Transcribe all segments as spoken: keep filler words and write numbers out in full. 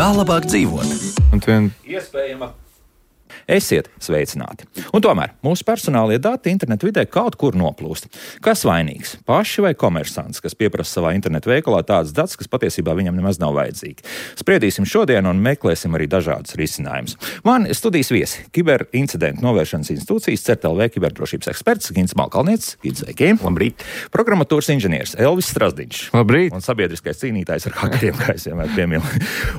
Kā labāk dzīvot? Un vien... Iespējama. Esiet sveicināti. Un tomēr mūsu personālie dati internetu vidē kaut kur noplūst. Kas vainīgs? Paši vai komersants, kas pieprasa savā internetu veikalā tādas datus, kas patiesībā viņam nemaz nav vajadzīgi? Spriedīsim šodien un meklēsim arī dažādus risinājumus. Man studijas viesi - kiberincidentu novēršanas institūcijas C E R T L V kiberdrošības eksperts Gints Malkalnietis. Gints, sveiki! Labrīt! Programmatūras inženieris Elvis Strasdiņš. Labrīt! Un sabiedriskais cīnītājs ar hakeriem, kā es vienmēr piemilu.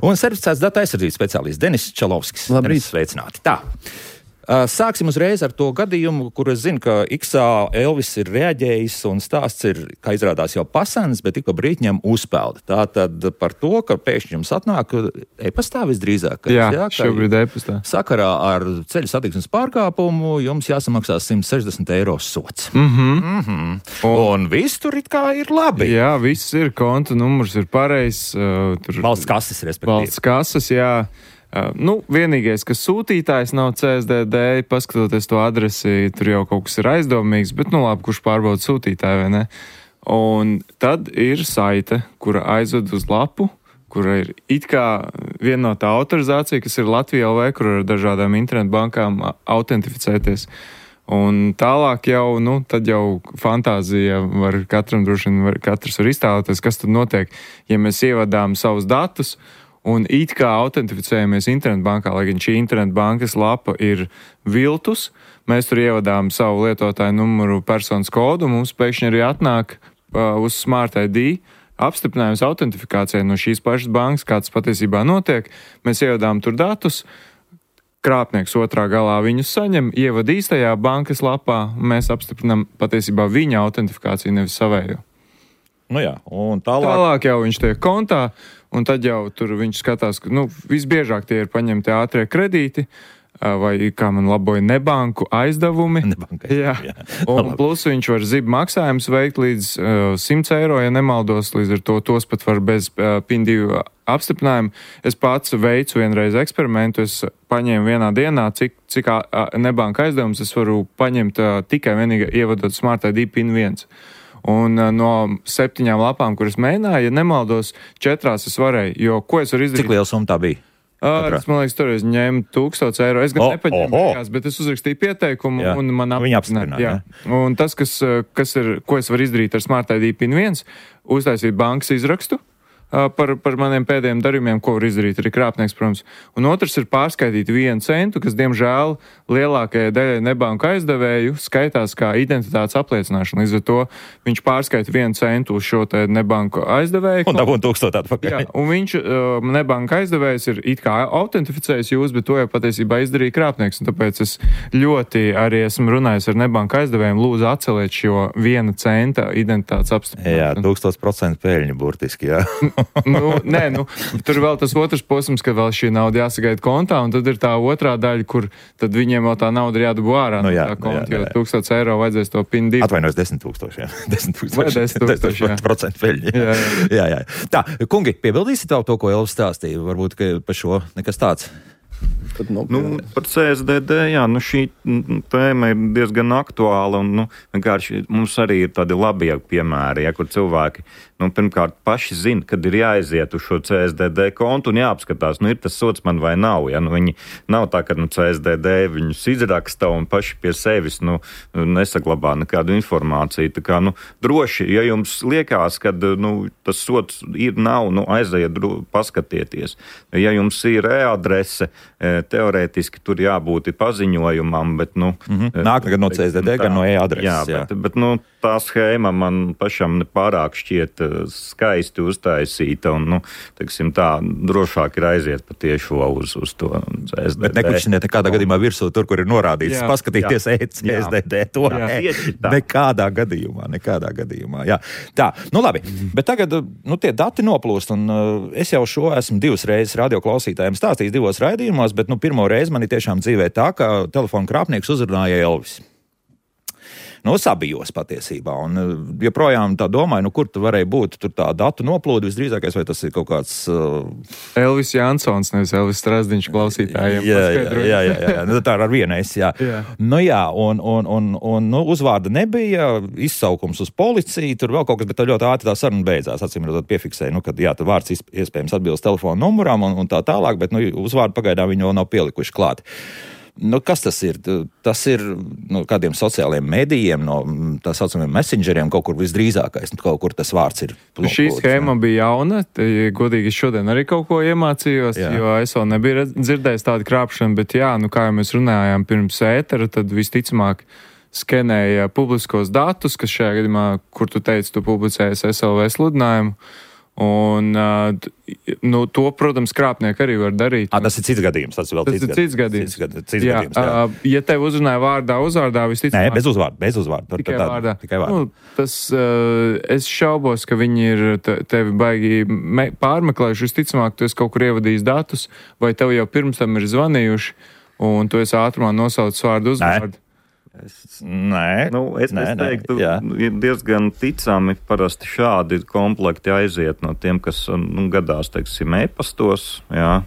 Un certificēts datu aizsardzības speciālists Denis Čalovskis. Labrīt! Sveicināti! Tā. Sāksim uzreiz ar to gadījumu, kur es zinu, ka X-ā Elvis ir reaģējis un stāsts ir, kā izrādās, jau pasens, bet tik pa brītņam uzpelda. Tātad par to, ka pēkšņi jums atnāk e-pastā visdrīzāk. Jā, jā šobrīd e-pastā. Sakarā ar ceļu satiksmes pārkāpumu jums jāsamaksā simt sešdesmit eiro sots. Mhm. Mm-hmm. Un, un viss tur it kā ir labi. Jā, viss ir, konta numurs ir pareizs. Uh, tur... Valsts kases, respektīvi. Valsts kases, jā. Uh, nu, vienīgais, kas sūtītājs nav C S D D, paskatoties to adresi, tur jau kaut kas ir aizdomīgs, bet, nu labi, kurš pārbauda sūtītāju, vai ne? Un tad ir saite, kura aizved uz lapu, kura ir it kā vienotā autorizācija, kas ir Latvija L V, kur ar dažādām internetbankām autentificēties. Un tālāk jau, nu, tad jau fantāzija var katram droši vien, var, katrs var iztēloties, kas tad notiek, ja mēs ievadām savus datus, un it kā autentificējamies internetbankā, lai gan šī internetbankas lapa ir viltus, mēs tur ievadām savu lietotāju numuru, personas kodu, mums pēkšņi arī atnāk uh, uz Smart I D apstiprinājums autentifikācijai no šīs pašas bankas, kā tas patiesībā notiek. Mēs ievadām tur datus, krāpnieks otrā galā viņus saņem, ievad īstajā bankas lapā, mēs apstiprinām patiesībā viņa autentifikāciju, nevis savējo. Nu jā, un tālāk... Tālāk jau viņš tiek kontā, un tad jau tur viņš skatās, ka, nu, visbiežāk tie ir paņemti ātrie kredīti, vai, kā man laboja, nebanku aizdevumi. Nebanka, jā. jā. Un plus viņš var zib maksājumus veikt līdz uh, simt eiro, ja nemaldos, līdz ar to tos pat var bez uh, PIN divi apstiprinājumu. Es pats veicu vienreiz eksperimentu, es paņēmu vienā dienā, cik, cik uh, nebanka aizdevumus es varu paņemt uh, tikai vienīgi ievadot Smart I D PIN viens. Un uh, no septiņām lapām, kuras mēģināju, ja nemaldos, četrās es varēju, jo ko es varu izdarīt? Cik liela summa tā bija? Uh, es, man liekas, toreiz ņēmu tūkstoš eiro. Es gan oh, nepaņēmu oh, oh. beigās, bet es uzrakstīju pieteikumu jā. Un man apstiprināja. Un tas, kas, kas ir, ko es varu izdarīt ar Smart I D PIN viens, uztaisīt bankas izrakstu uh, par, par maniem pēdējiem darījumiem, ko var izdarīt arī krāpnieks, protams. Un otrs ir pārskaitīt vienu centu, kas, diemžēl, lielākajai daļai nebanku aizdevēju skaitās kā identitātes apliecināšana. Līdz ar to viņš pārskaita vienu centu uz šo te nebanku aizdevēju. Un dabūna tūkstotā atpakaļ. Jā, un viņš, uh, nebanka aizdevējs, ir it kā autentificējis jūs, bet to jau patiesībā izdarīja krāpnieks. Un tāpēc es ļoti arī esmu runājis ar nebanku aizdevējiem, lūdzu atceliet šo viena centa identitātes apstiprināšanu. Jā, tūkstoš procentu peļņu burtiski, jā. nu, nē, nu, tur vēl tas otrs posms, ka vēl šī nauda jāsagaida kontā, un tad ir tā otrā daļa, kur tad viņiem vēl tā nauda ir jādabū ārā no, nu, jā, tā konta, jā, jā. jo tūkstoš eiro vajadzēs to PIN divi. Atvainojos, desmit tūkstoši, jā. Desmit Vai desmit tūkstoši, jā. Procentu peļņu. Jā, jā. jā, jā. Tā, kungi, piebildīsiet vēl to, ko Elvis stāstīja? Varbūt, ka par šo nekas tāds. Tad, nu, nu, par C S D D, jā, nu šī tēma ir diezgan aktuāla, un, nu, vienkārši mums arī ir tādi labie piemēri, ja, kur cilvēki, nu, pirmkārt, paši zina, kad ir jāaiziet uz šo C S D D kontu un jāapskatās, nu, ir tas sots man vai nav, ja, nu, viņi nav tā, ka, nu, C S D D viņus izraksta un paši pie sevis, nu, nesaglabā nekādu informāciju, tā kā, nu, droši, ja jums liekas, kad, nu, tas sots ir, nav, nu, aiziet, dro, paskatieties, ja jums ir e-adrese, teorētiski tur jābūt paziņojumam, bet, nu... Mm-hmm. Nāk gan no C S D D, tā, gan no e-adreses. Jā, jā. Bet, bet, nu, tā schēma man pašam nepārāk šķiet skaisti uztaisīta, un, nu, teiksim tā, drošāk ir aiziet patiešo uz, uz to C S D D. Bet neklišķiniet nekādā gadījumā virsū tur, kur ir norādīts, jā, paskatīties C S D D, to jā, nekādā gadījumā, nekādā gadījumā, jā. Tā, nu labi, bet tagad, nu, tie dati noplūst, un uh, es jau šo esmu divas reizes radioklausītājiem stāstījis divos raidījumos, bet, nu, pirmo reizi man ir tiešām dzīvē tā, ka telefona krāpnieks uzrunāja Elvis. nu, sabijos patiesībā. Un joprojām tā domāju, nu, kur tu varēja būt tur tā datu noplūde visdrīzākais, vai tas ir kaut kāds... Uh... Elvis Jansons, nevis Elvis Strasdiņš klausītājiem. Jā, jā, jā, jā, jā. Nu, tā ar vienais, jā. jā. Nu jā, un, un, un, un nu, uzvārda nebija, izsaukums uz policiju, tur vēl kaut kas, bet tā ļoti ātri tā saruna beidzās. Acīm redzot, piefiksēja, nu, kad jā, tad vārds iespējams atbilst telefona numurām un, un tā tālāk, bet nu, uzvārdu pagaidām viņi vēl nav pielikuši klāt. Nu, kas tas ir? Tas ir no kādiem sociālajiem medijiem, no tā saucamiem messengeriem, kaut kur visdrīzākais, kaut kur tas vārds ir. Nu, šī schēma bija jauna, godīgi es šodien arī kaut ko iemācījos, jā. Jo es vēl nebiju dzirdējis tādu krāpšanu, bet jā, nu kā jau mēs runājām pirms ētera, tad visticamāk skenēja publiskos datus, kas šajā gadījumā, kur tu teici, tu publicējies S L V sludinājumu. Un, nu, to, protams, krāpnieki arī var darīt. À, tas ir cits gadījums. Tas ir vēl tas cits, ir cits gadījums. Cits, cits jā, gadījums jā. Ja tev uzrunāja vārdā, uzvārdā, visticamāk... Nē, bez uzvārda, bez uzvārda. Tikai tā, vārdā. Tikai vārdā. Nu, tas, es šaubos, ka viņi ir tevi baigi pārmeklējuši. Visticamāk, tu esi kaut kur ievadījis datus, vai tev jau pirms tam ir zvanījuši, un tu esi ātrumā nosaucis vārdu uzvārdu. Es, nē, nu, es, nē, es teiktu, ka ir diezgan ticami parasti šādi komplekti aiziet no tiem, kas nu, gadās, teiksim, e-pastos, jā,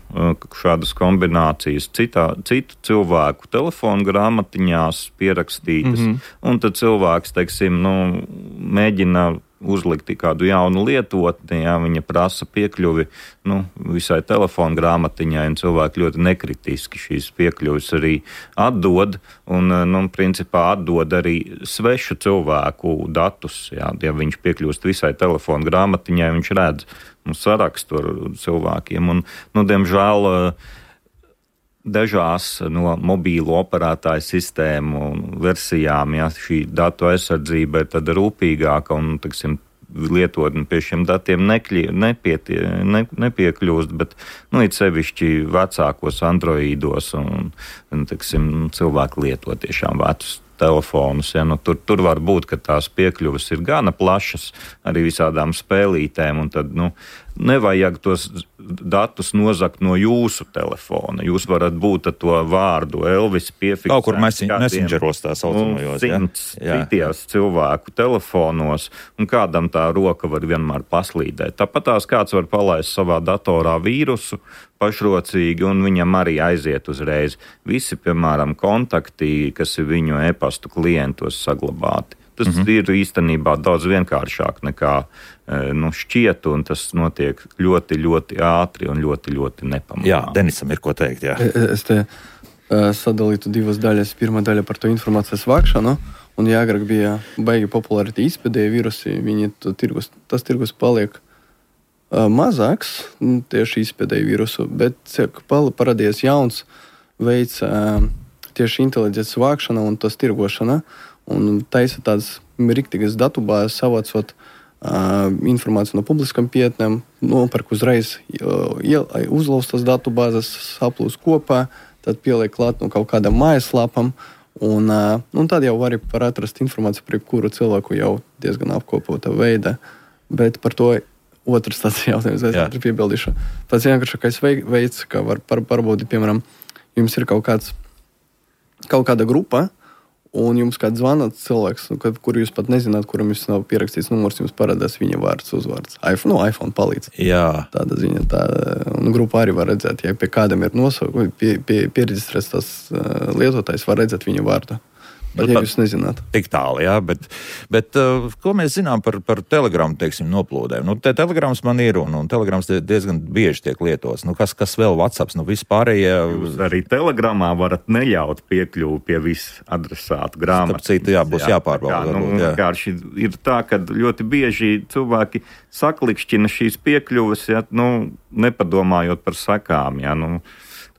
šādas kombinācijas citā, citu cilvēku telefonu grāmatiņās pierakstītas, mm-hmm. un tad cilvēks, teiksim, nu, mēģina uzlikt kādu jaunu lietotni, ja viņa prasa piekļuvi nu, visai telefonu grāmatiņai, un cilvēki ļoti nekritiski šīs piekļuvis arī atdod, un, nu, principā atdod arī svešu cilvēku datus, ja, ja viņš piekļūst visai telefonu grāmatiņai, viņš redz nu, sarakstu ar cilvēkiem, un, nu, diemžēl, dažās no mobīlo operētāju sistēmu versijām, ja šī datu aizsardzība ir tāda rūpīgāka un, teiksim, lietotni pie šiem datiem nekļi, nepietie, ne, nepiekļūst, bet, nu, it sevišķi vecākos androīdos un, un teiksim, cilvēki lieto tiešām vecus telefonus, ja, nu, tur, tur var būt, ka tās piekļuves ir gana plašas arī visādām spēlītēm, un tad, nu, nevajag tos datus nozakt no jūsu telefona. Jūs varat būt ar to vārdu Elvis piefiksēt. Kaut kur messengeros tā saucamajos, ja? Citījās cilvēku telefonos, un kādam tā roka var vienmēr paslīdēt. Tāpat tās kāds var palaist savā datorā vīrusu pašrocīgi, un viņam arī aiziet uzreiz. Visi, piemēram, kontakti, kas ir viņu e-pastu klientos saglabāti. Tas mm-hmm. ir īstenībā daudz vienkāršāk nekā nu, šķiet, un tas notiek ļoti, ļoti ātri un ļoti, ļoti nepamanāmi. Jā, Denisam ir ko teikt, jā. Es te uh, sadalītu divas daļas. Pirmā daļa par to informācijas vākšanu, un ja agrāk bija baigi populāri tie izpēdēji virusi, viņi to tirgus, tas tirgus paliek uh, mazāks, tieši izpēdēji virusu, bet parādījās jauns veids uh, tieši inteliģences vākšana un tas tirgošana, un taisa tādas riktīgas datubāzes, savācot uh, informāciju no publiskam pietnēm, nopērk uzreiz uh, uzlaustas datubāzes, saplūs kopā, tad pieliek klāt no kaut kādam mājaslapam, un, uh, un tad jau var atrast informāciju par jebkuru cilvēku jau diezgan apkopota veidā. Bet par to otrs tāds jautājums, es ātri piebildīšu. Pats vienkāršākais veids, kā var pārbaudīt, piemēram, jums ir kaut kāds, kaut kāda grupa, un jums kāds zvanāt cilvēks, kur jūs pat nezināt, kuram jūs nav pierakstīts numurs, jums parādās viņa vārds, uzvārds. iPhone, no iPhone palīdz. Jā. Tāda ziņa, tā, un grupā arī var redzēt, ja pie kādam ir nosaukums, pie, pie, pieregistrēts tas uh, lietotājs, var redzēt viņa vārdu. Bet, ja jūs nezināt. Tik tālu, jā, bet, bet uh, ko mēs zinām par, par telegramu, teiksim, noplūdēm? Nu, te telegrams man ir, un, un telegrams diezgan bieži tiek lietots. Nu, kas, kas vēl WhatsApps? Nu, vispārējie... Jūs arī telegramā varat neļaut piekļuvu pie visu adresātu grāmatu. Starp citu, jā, būs jā, jāpārbauda. Jā, nu, varbūt, jā. Vienkārši ir tā, ka ļoti bieži cilvēki saklikšķina šīs piekļuves, ja, nu, nepadomājot par sakām, ja, nu...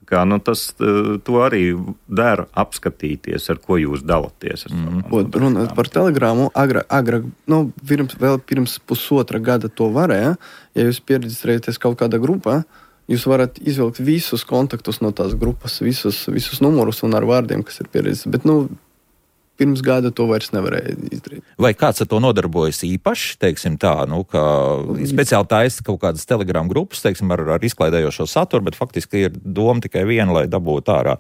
Kā, nu, tas to arī der apskatīties, ar ko jūs dalaties. Mm. Runāt par telegrāmu, agrāk, agrāk, nu, pirms, vēl pirms pusotra gada to varēja, ja jūs pieregistrējaties kaut kādā grupā, jūs varat izvilkt visus kontaktus no tās grupas, visus, visus numurus un ar vārdiem, kas ir pieregistrēti. Bet, nu, pirms gada to vairs nevarēja izdarīt. Vai kāds ar to nodarbojas īpaši, teiksim tā, nu, ka speciāli taisa kaut kādas Telegram grupas, teiksim, ar, ar izklaidējošo saturu, bet faktiski ir doma tikai viena, lai dabūtu ārā,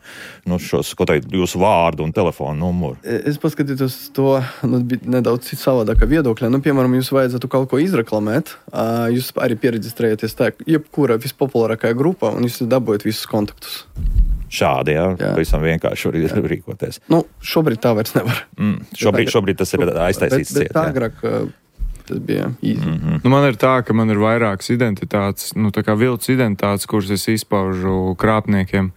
nu, šos, ko teikt, jūsu vārdu un telefonu numuru? Es paskatītos to, nu, nedaudz savādākā viedokļa. Nu, piemēram, jūs vajadzētu kaut ko izreklamēt, jūs arī pieregistrējaties tā, jebkura vispopulārākā grupa, un jūs dabūjat visus kontaktus. Šādi, jā, jā. Pavisam vienkārši var jā. rīkoties. Nu, šobrīd tā vairs nevar. Mm, šobrīd, šobrīd tas ir aiztaisīts ciet. Bet, bet agrāk tas bija īsi. Mm-hmm. Nu, man ir tā, ka man ir vairākas identitātes, nu, tā kā viltus identitātes, kuras es izpaužu krāpniekiem.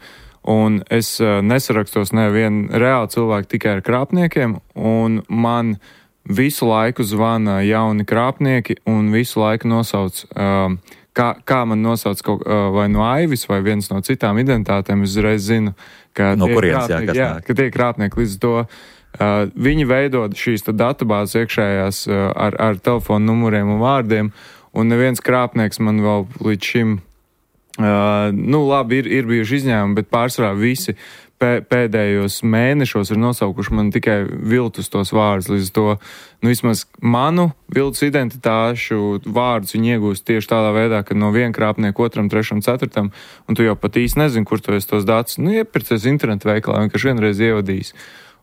Un es uh, nesarakstos nevienu reāli cilvēku tikai ar krāpniekiem, un man visu laiku zvana jauni krāpnieki un visu laiku nosauc... Uh, Kā, kā man nosauc kaut, vai no Aivis vai viens no citām identitātēm, es uzreiz zinu, ka no tie kurienes, krāpnieki, jā, jā, ka tie krāpnieki līdz to, uh, viņi veidod šīs datubāzes iekšējās uh, ar, ar telefonu numuriem un vārdiem, un neviens krāpnieks man vēl līdz šim, uh, nu labi, ir, ir bijuši izņēmumi, bet pārsvarā visi pēdējos mēnešos ir nosaukuši man tikai viltus tos vārdus. Līdz to, nu vismaz manu viltus identitāšu vārdus viņi iegūst tieši tādā veidā, ka no viena krāpnieka otram, trešam, ceturtam, un tu jau pat īsti nezini, kur tu esi tos datus. Nu, iepircies internetu veikalā, vienkārši vienreiz ievadījis.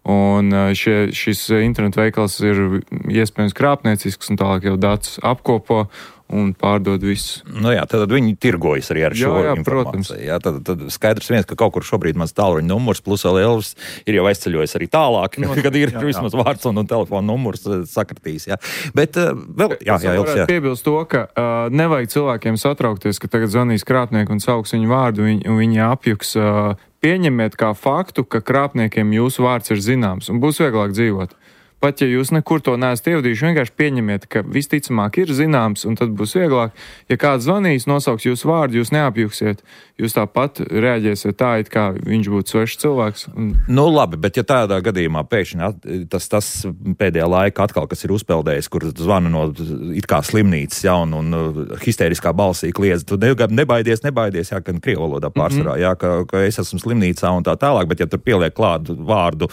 Un šie, šis internetu veikals ir iespējams krāpniecisks, un tālāk jau datus apkopo un pārdod visu. Nu jā, tad viņi tirgojas arī ar šo jā, jā, informāciju. Jā, tad, tad skaidrs viens, ka kaut kur šobrīd mans tālruņa numurs plus vēl Elvis ir jau aizceļojis arī tālāk, no, kad ir jā, vismaz jā. Vārds un, un telefona numurs sakratīs. Jā. Bet uh, vēl, jā, jā, Elvis, jā. Piebilst to, ka uh, nevajag cilvēkiem satraukties, ka tagad zvanīs krāpnieki un sauks viņu vārdu, un, un viņi apjuks. Uh, pieņemiet kā faktu, ka krāpniekiem jūsu vārds ir zināms, un būs vieglāk dzīvot. Pat ja jūs nekur to neesat ievadījuši, vienkārši pieņemiet, ka visticamāk ir zināms, un tad būs vieglāk. Ja kāds zvanīs, nosauks jūsu vārdu, jūs neapjuksiet, jūs tāpat reaģēsiet tā, it kā viņš būtu svešs cilvēks. Un... Nu labi, bet ja tādā gadījumā pēkšņi tas, tas pēdējā laika atkal, kas ir uzpeldējis, kur zvana no it kā slimnīcas, ja, un, un histēriskā balsī kliedz, tu nebaidies, nebaidies, jā, ka krievu valodā pārsvarā, mm-hmm. jā, ka, ka es esmu slimnīcā un tā tālāk, bet ja tur pieliek klātu vārdu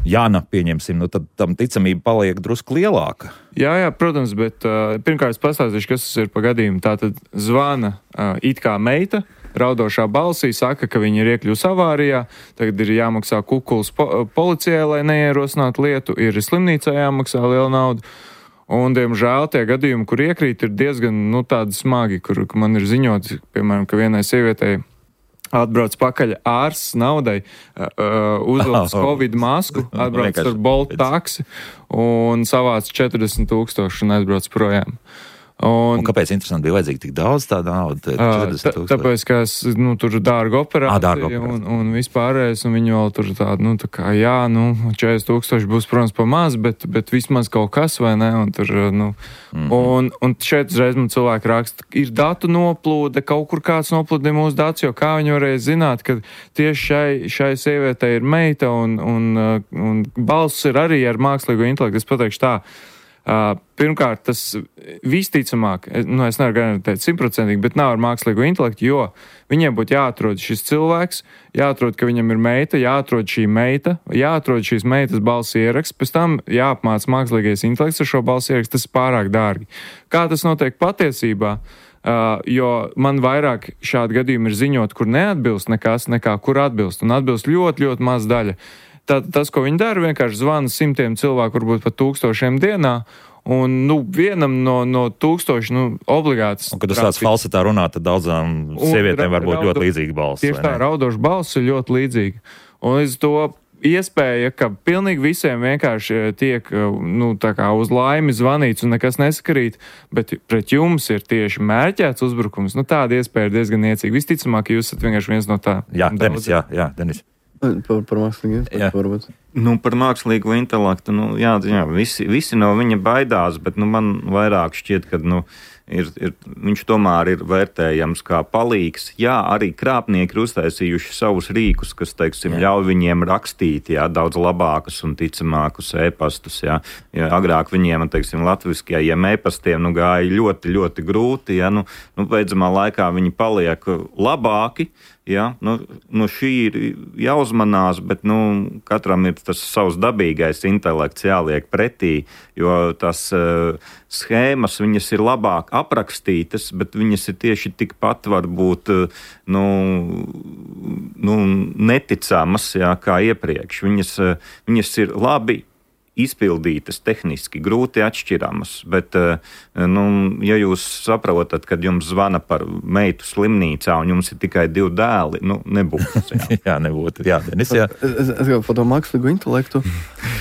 Jāna, pieņemsim, nu tad tam ticamība paliek drusku lielāka. Jā, jā, protams, bet uh, pirmkārt es pastāstīšu, kas tas ir pa gadījumu. Tātad zvana uh, it kā meita, raudošā balsī, saka, ka viņi ir iekļūs avārijā, tagad ir jāmaksā kukuls po- policijai, lai neierosinātu lietu, ir slimnīcā jāmaksā liela nauda. Un, diemžēl, tie gadījumi, kur iekrīt, ir diezgan, nu, tādi smagi, kur man ir ziņots, piemēram, ka vienai sievietei atbrauc pakaļ ārsts naudai, uh, uzvilks Covid masku, atbrauc ar Bolt taksi un savāc četrdesmit tūkstoši un aizbrauc projām. Un, un kāpēc interesanti bija vajadzīgi tik daudz tāda nauda? Tā, tāpēc, ka es, nu, tur dārga operācija, à, dārga operācija. Un, un vispārējais, un viņi vēl tur tāda, nu, tā kā, jā, nu, četrdesmit tūkstoši būs, protams, pa maz, bet, bet vismaz kaut kas, vai ne, un tur, nu, mm-hmm. un, un šeit uzreiz man cilvēki raksta, ir datu noplūde, kaut kur kāds noplūde mūsu datus, jo kā viņi varēja zināt, ka tieši šai, šai sievietei ir meita, un, un, un balss ir arī ar mākslīgo intelektu, es pateikšu tā. Uh, pirmkārt, tas visticamāk, nu, es nevaru garantēt simtprocentīgi, bet nav ar mākslīgo intelektu, jo viņiem būtu jāatrod šis cilvēks, jāatrod, ka viņam ir meita, jāatrod šī meita, jāatrod šīs meitas balss ieraksts, pēc tam jāapmāc mākslīgais intelekts ar šo balss ierakstu, tas ir pārāk dārgi. Kā tas notiek patiesībā? Uh, jo man vairāk šādi gadījumi ir ziņot, kur neatbilst nekas, nekā kur atbilst, un atbilst ļoti, ļoti maz daļa. Tad tas, ko viņi dara, vienkārši zvana simtiem cilvēku, varbūt pat tūkstošiem dienā, un, nu, vienam no, no tūkstoši, nu, obligāts. Un, kad uz tāds falsetā runā, tad daudzām sievietēm var būt ļoti līdzīga balss. Tieši tā, raudoša balss ir ļoti līdzīga. Un līdz to iespēja, ka pilnīgi visiem vienkārši tiek, nu, tā kā uz laimi zvanīts un nekas nesakarīt, bet pret jums ir tieši mērķēts uzbrukums, nu, tāda iespēja ir diezgan niecīga. Visticamāk, ka jūs esat vienkārši viens no tā. Jā, Denis, jā, jā, Denis. Par, par mākslīgu intelektu. Nu, par mākslīgu intelektu, nu, jā, jā visi, visi no viņa baidās, bet nu, man vairāk šķiet, ka nu, ir, ir, viņš tomēr ir vērtējams kā palīgs. Jā, arī krāpnieki ir uztaisījuši savus rīkus, kas, teiksim, jā. ļauj viņiem rakstīt, jā, daudz labākus un ticamākus e-pastus, jā. Ja agrāk viņiem, teiksim, latviskajiem e-pastiem, nu, gāja ļoti, ļoti grūti, jā, nu, nu, beidzamā laikā viņi paliek labāki, Ja, nu, nu šī ir jāuzmanās, bet nu, katram ir tas savs dabīgais intelekts jāliek pretī, jo tās uh, schēmas, viņas ir labāk aprakstītas, bet viņas ir tieši tikpat varbūt uh, nu, nu, neticamas, jā, kā iepriekš. Viņas, uh, viņas ir labi izpildītas, tehniski grūti atšķiramas, bet, nu, ja jūs saprotat, kad jums zvana par meitu slimnīcā un jums ir tikai divi dēli, nu, nebūs. Jā, jā nebūtu. Jā, Denis, jā. Es, es jau par to mākslīgo intelektu.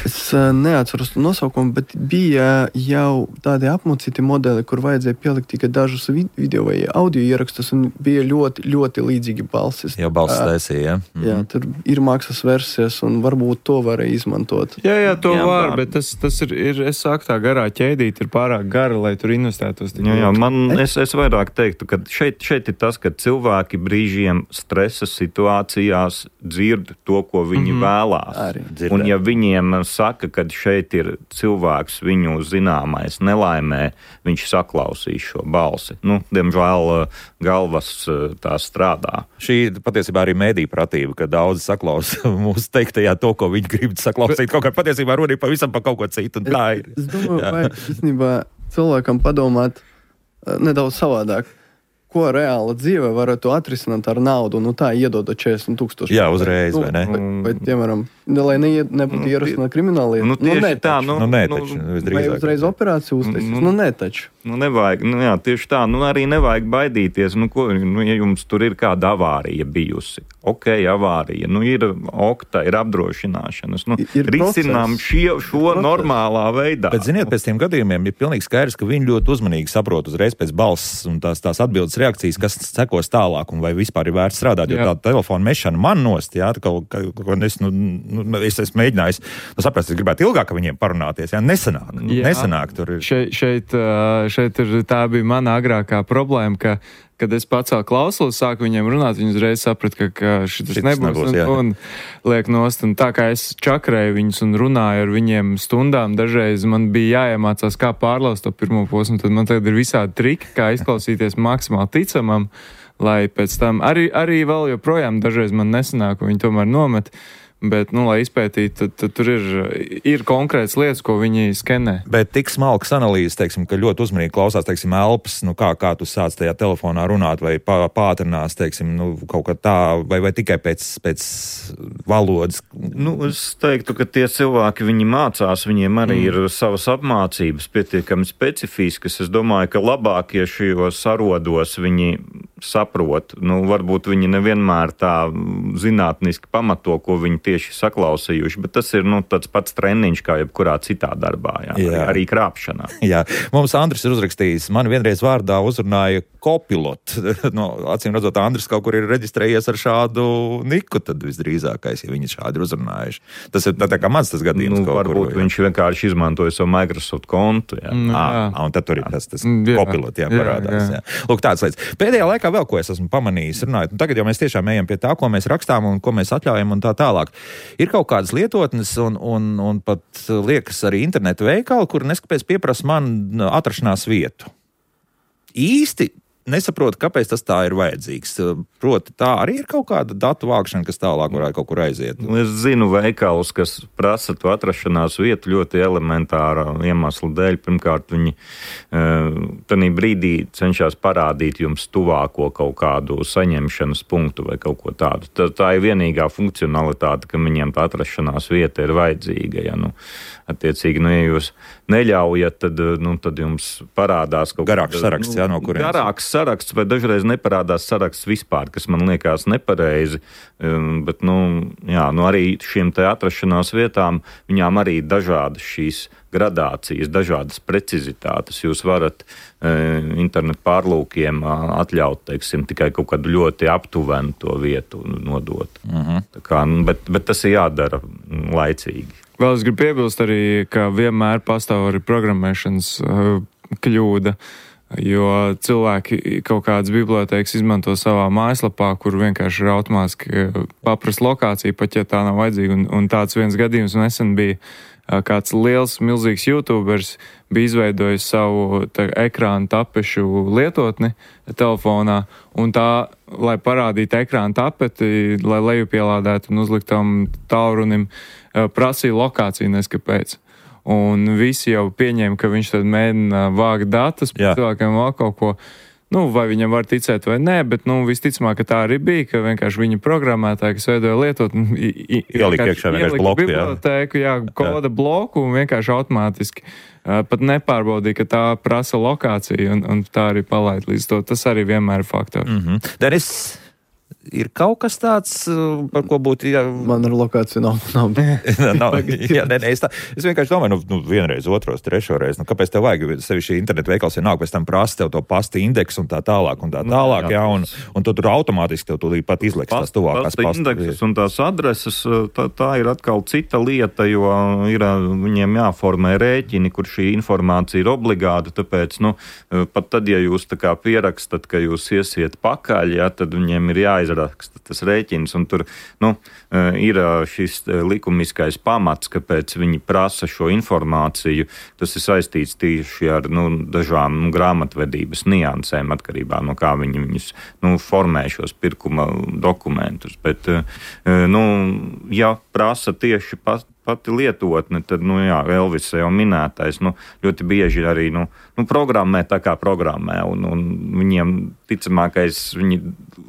Es neatceros to nosaukumu, bet bija jau tādi apmocīti modeli, kur vajadzēja pielikt tikai dažus video vai audio ierakstus, un bija ļoti, ļoti līdzīgi balsis. Jau balsis taisīja, jā. Mm. Jā, tur ir maksas versijas, un varbūt to varēja izmantot. Jā, jā, to jā, var. Bet tas, tas ir, ir, es saku, tā garā ķēdīt ir pārāk gara, lai tur investētos. Jā, jā, man, es, es vairāk teiktu, ka šeit, šeit ir tas, ka cilvēki brīžiem stresa situācijās dzird to, ko viņi mm-hmm. vēlās. Arī. Un ja viņiem saka, ka šeit ir cilvēks viņu zināmais nelaimē, viņš saklausīs šo balsi. Nu, diemžēl galvas tā strādā. Šī patiesībā arī mēdī pratība, ka daudzi saklausa mūsu teiktajā to, ko viņi grib saklausīt. Kaut kā patiesībā runī pavisam pa kaut ko citu. Un tā ir. Es domāju, vai īstenībā cilvēkam padomāt nedaudz savādāk, ko reāla dzīve varētu atrisināt ar naudu, nu tā iedodot četrdesmit tūkstoši. Jā, uzreiz, vai ne? Vai, vai piemēram, lai ne, nebūtu ierasina krimināli. Nu, tieši nu, ne, tā, nu, nu, nē, taču. Nu, vai uzreiz operāciju uztaisīs? Nu, nu, nē, taču. Nu, nevajag, nu, jā, tieši tā, nu, arī nevajag baidīties, nu, ko, nu, ja jums tur ir kāda avārija bijusi. Ok, avārija, nu, ir okta, ir apdrošināšanas, nu, ir risinām šie, šo process. Normālā veidā. Bet, ziniet, pēc tiem gadījumiem ir pilnīgi skaidrs, ka viņi ļoti uzmanīgi saprot uzreiz pēc balss un tās, tās atbildes reakcijas, kas sekos tālāk un vai vispār ir vērts strādāt, jo jā. Tā telefona mešana man nost, jā, ka, ka, ka es, nu, nu, es esmu mēģinājis, nu, saprast, es gribētu ilgāk ar viņiem parunāties, jā, nesanāk, jā. nesanāk tur ir. Šeit, šeit, šeit ir, tā bija mana agrākā problēma, ka, kad es pacēlu klausulas, sāku viņiem runāt, viņi uzreiz saprat, ka, ka šitas nebūs, nebūs un, un liek nost, un tā kā es čakrēju viņus un runāju ar viņiem stundām, dažreiz man bija jāiemācās, kā pārlaust to pirmo posmu, tad man tagad ir visādi triki, kā izklausīties maksimāli ticamam, lai pēc tam arī, arī vēl joprojām dažreiz man nesanāk, un viņi tomēr nomet. Bet, nu, lai izpētītu, tad, tad tur ir, ir konkrētas lietas, ko viņi skenē. Bet tik smalkas analīzes, teiksim, ka ļoti uzmanīgi klausās, teiksim, elpas, nu, kā, kā tu sāc tajā telefonā runāt, vai pā, pātrinās, teiksim, nu, kaut kā tā, vai, vai tikai pēc, pēc valodas. Nu, es teiktu, ka tie cilvēki, viņi mācās, viņiem arī mm. ir savas apmācības pietiekami specifiskas. Es domāju, ka labākie šajos arodos viņi saprot. Nu, varbūt viņi nevienmēr tā zinātniski pamato, ko viņi tieši saklausījuši, bet tas ir, nu, tāds pats treniņš, kā jebkurā citā darbā, jā, jā. Arī, arī krāpšanā. Jā, mums Andris ir uzrakstījis, man vienreiz vārdā uzrunāja Copilot. No, acīm redzot, Andris kaut kur ir reģistrējies ar šādu niku, tad visdrīzākais, ja viņi šādi ir uzrunājuši. Tas ir tā, tā kā mans tas gadījums. Nu, varbūt kur, viņš vienkārši izmantoja savu Microsoft kontu. Jā. Mm, jā. À, un tad tur ir tas, tas jā. Copilot, jā, parādās. Jā, jā. Jā. Lūk, tāds lietas. Pēdējā laikā vēl, ko es esmu pamanījis, runājot, un tagad jau mēs tiešām ejam pie tā, ko mēs rakstām un ko mēs atļaujam un tā tālāk. Ir kaut kādas lietotnes un, un, un pat liekas arī internetu veikali, kur neskapēc pieprasa man atrašanās vietu. Īsti nesaprotu, kāpēc tas tā ir vajadzīgs. Proti, tā arī ir kaut kāda datu vākšana, kas tālāk varētu kaut kur aiziet. Es zinu veikalus, kas prasa to atrašanās vietu ļoti elementāra iemesla dēļ. Pirmkārt, viņi tādā brīdī cenšas parādīt jums tuvāko kaut kādu saņemšanas punktu vai kaut ko tādu. Tā, tā ir vienīgā funkcionalitāte, ka viņiem tā atrašanās vieta ir vajadzīga. Ja, nu, attiecīgi, nu, ja jūs neļaujat, tad, nu, tad jums parādās kaut kāds garāks saraksts, nu, jā, no kurienes. Garāks saraksts, vai dažreiz neparādās saraksts vispār, kas man liekas nepareizi, bet, nu, jā, nu, arī šiem te atrašanās vietām, viņām arī dažādas šīs gradācijas, dažādas precizitātes. Jūs varat e, internetu pārlūkiem atļaut, teiksim, tikai kaut kādu ļoti aptuvenu to vietu nodot. Uh-huh. Tā kā, nu, bet, bet tas ir jādara laicīgi. Vēl es gribu piebilst arī, ka vienmēr pastāv arī programmēšanas uh, kļūda, jo cilvēki kaut kādas bibliotēkas izmanto savā mājaslapā, kur vienkārši ir automātiski paprast lokāciju, pat ja tā nav vajadzīga. Un, un tāds viens gadījums nesen bija kāds liels, milzīgs YouTubers bija izveidojis savu tā, ekrānu tapešu lietotni telefonā, un tā, lai parādītu ekrānu tapeti, lai lejupielādētu un uzliktam tālrunim, prasīja lokāciju neskapēc. Un visi jau pieņēma, ka viņš tad mēģina vākt datus, par cilvēkiem vēl kaut ko. Nu, vai viņam var ticēt vai nē, bet, nu, visticamāk, ka tā arī bija, ka vienkārši viņa programmētāji, kas veidoja lietot, ielika iekšā vienkārši bloku, jā. Bibliotēku, jā, koda bloku un vienkārši automātiski uh, pat nepārbaudīja, ka tā prasa lokāciju un, un tā arī palaid līdz to. Tas arī vienmēr ir faktors. Mm-hmm. Denis, ir kaut kas tāds, par ko būtu... Jā... Man ar lokāciju nav. nav. nav jā, ne, ne, es, tā, es vienkārši domāju, nu, nu vienreiz, otros, trešo reizi, nu, kāpēc tev vajag, sevi šī internetu veikals ir nāk, pēc tam prasa tev to pasta indeksu un tā tālāk un tā tālāk, jā, un, un tu tur automātiski tev tūlīt pat izliks tās tuvākās pasta. Pasta indeksus un tās adreses, tā, tā ir atkal cita lieta, jo ir viņiem jāformē rēķini, kur šī informācija ir obligāta, tāpēc, nu, pat tad, ja jūs tā kā pierakstat, ka jūs iesiet pakaļ, jā, tad viņiem ir jāizraksta tas rēķins, un tur nu, ir šis likumiskais pamats, kāpēc viņi prasa šo informāciju. Tas ir saistīts tieši ar nu, dažām nu, grāmatvedības niansēm, atkarībā no kā viņi viņus nu, formē šos pirkuma dokumentus. Bet, nu, ja prasa tieši pat pati lietotne, tad, nu jā, Elvis jau minētais, nu, ļoti bieži arī, nu, nu programmē tā kā programmē, un, un viņiem ticamākais, viņi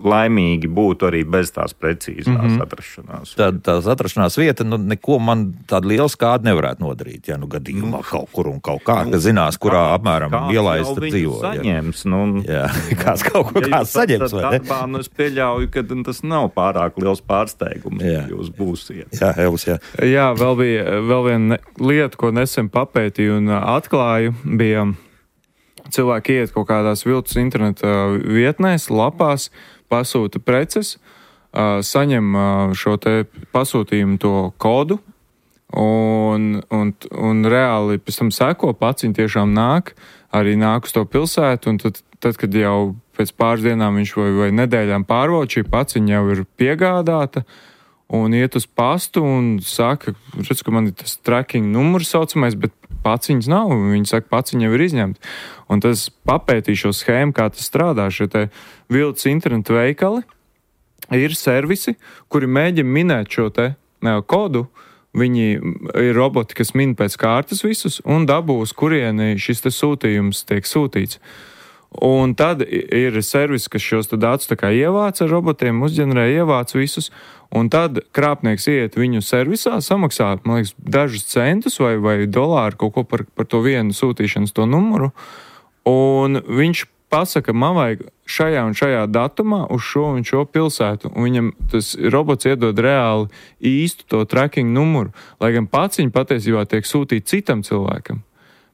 laimīgi būtu arī bez tās precīzās mm-hmm. atrašanās. Tā, tās atrašanās vieta, nu, neko man tāda liela skāda nevarētu nodarīt, ja, nu, gadījumā nu, kaut kur un kaut kā, ka zinās, kurā kā, apmēram ielaista dzīvo. Saņems, ja. Nu, jā, kāds kaut ko ja kāds saņems, vai ne? Darbā, nu, es pieļauju, ka tas nav pārāk liels pārsteigums, ja jūs būsiet. Jā, Elvis, jā. Jā, vēl bija vēl viena lieta, ko nesen papētīju un atklāju, bija cilvēki iet kaut kādās viltus interneta vietnēs, lapās, pasūta preces, saņem šo te pasūtījumu to kodu un, un, un reāli pēc tam seko, paciņi tiešām nāk, arī nāk uz to pilsētu, un tad, tad kad jau pēc pāris dienām viņš vai, vai nedēļām pārvauc, šī paciņa jau ir piegādāta, un iet uz pastu un saka, redz, ka man ir tas tracking numurs saucamais, bet paciņas nav. Viņi saka, paciņa jau ir izņemta. Un tas papētīja šo schēmu, kā tas strādā. Šie te viltus internetu veikali ir servisi, kuri mēģina minēt šo te ne, kodu. Viņi ir roboti, kas min pēc kārtas visus un dabū, uz kurieni šis te sūtījums tiek sūtīts. Un tad ir servis, kas šos datus tā kā ievāc ar robotiem, uzģenerē, ievāc visus, un tad krāpnieks iet viņu servisā, samaksā, man liekas, dažus centus vai, vai dolāru kaut ko par, par to vienu sūtīšanas to numuru, un viņš pasaka, man vajag šajā un šajā datumā uz šo un šo pilsētu, un viņam tas robots iedod reāli īstu to tracking numuru, lai gan paciņi patiesībā tiek sūtīti citam cilvēkam.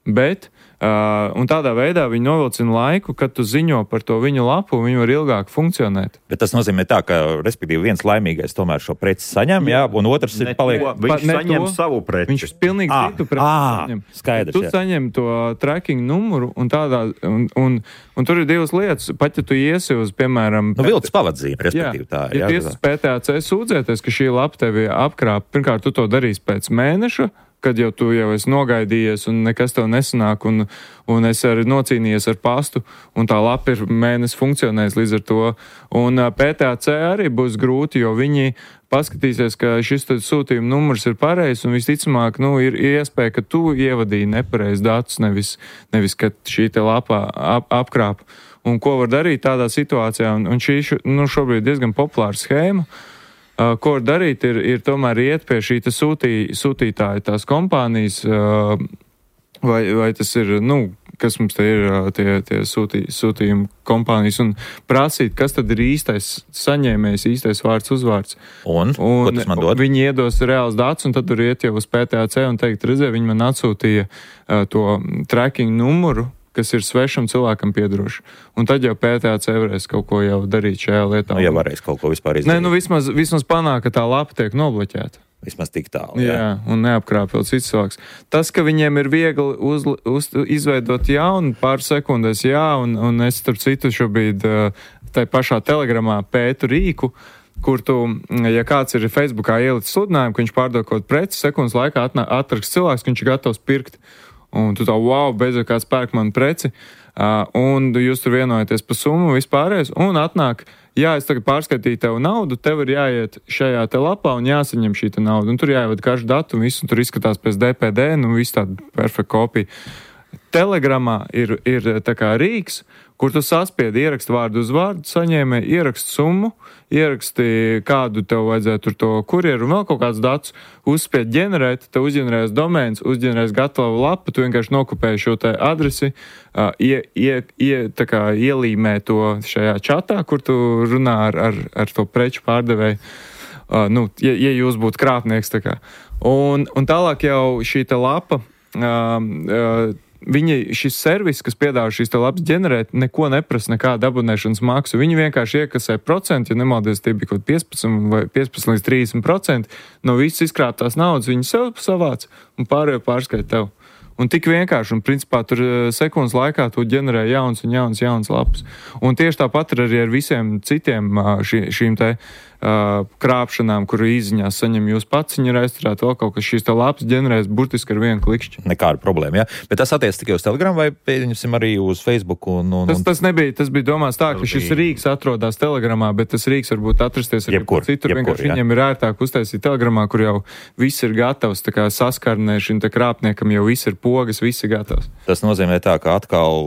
Bet Uh, un tādā veidā viņi novilcina laiku, kad tu ziņo par to viņu lapu, un viņi var ilgāk funkcionēt. Bet tas nozīmē tā, ka, respektīvi, viens laimīgais tomēr šo preci saņem, jā, un otrs ir paliek... To, viņš pa, saņem to, savu preci. Viņš pilnīgi à, citu preci à, saņem. Skaidrs, tu jā. saņem to tracking numuru, un tādā, un, un, un tur ir divas lietas. Pat, ja tu iesi uz, piemēram... Nu, viltus pavadzīme, respektīvi, tā. Jā, ja tiesas P T A C sūdzēties, ka šī lapa tevi apkrāp, pirmkārt, tu to darīsi pēc mēneša, kad jau tu jau esi nogaidījies un nekas tev nesanāk, un, un es arī nocīnījies ar pastu, un tā lapa ir mēnesi funkcionējis līdz ar to. Un P T A C arī būs grūti, jo viņi paskatīsies, ka šis sūtījuma numurs ir pareizs, un visticamāk, nu, ir iespēja, ka tu ievadīji nepareiz datus, nevis, nevis, ka šī te lapa ap, apkrāp. Un ko var darīt tādā situācijā? Un, un šī nu, šobrīd diezgan populāra schēma. Uh, ko var darīt, ir, ir tomēr iet pie šī sūtī, sūtītāja tās kompānijas, uh, vai, vai tas ir, nu, kas mums te ir uh, tie, tie sūtī, sūtījuma kompānijas, un prasīt, kas tad ir īstais saņēmējs, īstais vārds, uzvārds. Un, un ko tas man dod? Viņi iedos reāls datus, un tad tur iet jau uz P T A C un teikt, redzē, viņi man atsūtīja uh, to tracking numuru, kas ir svešam cilvēkam piedroši. Un tad jau P T A C varēs kaut ko jau darīt šajā lietā. Nu, ja varēs kaut ko vispār izdarīt. Nē, nu vismaz, vismaz panāk, ka tā lapa tiek nobloķēta. Vismaz tik tālu. Jā, jā un neapkrāp vēl cits cilvēks. Tas, ka viņiem ir viegli uz, uz, izveidot jaunu pāris sekundēs, jā, un, un es starp citu šobrīd tai pašā telegramā pētu rīku, kur tu, ja kāds ir Facebookā ielicis sludinājumu, ka viņš pārdod kaut preci, sekundes laikā atrakst cilvēks, ka viņš ir gatavs pirkt. Un tu tā, wow, beidzot kāds pērk manu preci. Uh, un jūs tur vienojaties par summu vispārējais, un atnāk, jā, es tagad pārskaitīju tev naudu, tev ir jāiet šajā te lapā un jāsaņem šī te nauda. Un tur jāievada karšu datu, un viss, un tur izskatās pēc D P D, nu viss tāda perfekta kopija. Telegramā ir, ir tā kā rīks, kur tu saspiedi ierakstu vārdu uz vārdu, saņēmē ierakstu summu, ieraksti kādu tev vajadzētu tur to kurjeru un vēl kaut kāds datus, uzspied ģenerēt, tev uzģenerēs domēns, uzģenerēs gatavu lapu, tu vienkārši nokopēji šo te adresi, uh, ie, ie, ie, tā kā ielīmē to šajā čatā, kur tu runā ar, ar, ar to preču pārdevēju. Uh, nu, ja, ja jūs būtu krāpnieks, tā kā. Un, un tālāk jau šī te lapa, uh, uh, Viņi, šis servis, kas piedāvā šīs te lapas ģenerēt, neko neprasa, nekādu abonēšanas maksu. Viņi vienkārši iekasē procentu, ja nemaldies, tie bija kaut piecpadsmit vai piecpadsmit līdz trīsdesmit procenti no visas izkrāptās naudas. Viņi sev savāc un pārējo pārskaita tev. Un tik vienkārši, un principā tur sekundes laikā tu ģenerē jauns un jauns, jauns lapas. Un tieši tāpat ir arī ar visiem citiem šī, šīm te uh, krāpšanām, kuru izziņās saņem jūs pats, viņi ir aizturēt vēl kaut kas šīs te lapas ģenerēs burtiski ar vienu klikšķi. Nekāda problēma, jā. Ja? Bet tas attiec tikai uz Telegram vai pieņemsim arī uz Facebook? Un, un, un... Tas, tas nebija, tas bija domāts tā, ka šis rīks atrodas Telegramā, bet tas rīks varbūt atrasties arī jebkur, citur. Jebkur, vienkārši jā. Viņam ir ērtāk uztaisīt Telegramā, kur jau viss ir gatavs, tā kā saskarnē šim te krāpniekam jau viss ir pogas, viss ir gatavs. Tas nozīmē tā, ka atkal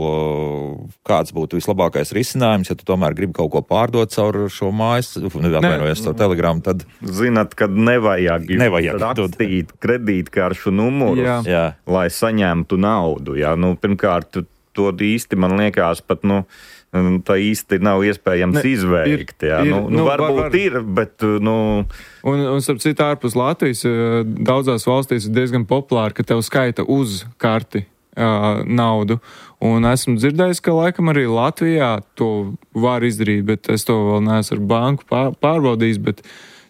kāds būtu vislabākais risinājums, ja tu tomēr gribi kaut ko pārdot caur šo mājas, atvainojies caur Telegramu, tad... Zināt, kad nevajag, nevajag rakstīt kredītkaršu numurus, jā. Jā. lai saņemtu naudu. Jā. Nu, pirmkārt, to īsti man liekas pat, nu, tā īsti nav iespējams ne, izveikt. Jā. Ir, nu, nu, nu, varbūt var, var. ir, bet, nu... Un, un starp citu, ārpus Latvijas, daudzās valstīs ir diezgan populāri, ka tev skaita uz karti uh, naudu. Un esmu dzirdējis, ka laikam arī Latvijā to var izdarīt, bet es to vēl neesmu ar banku pārbaudījis, bet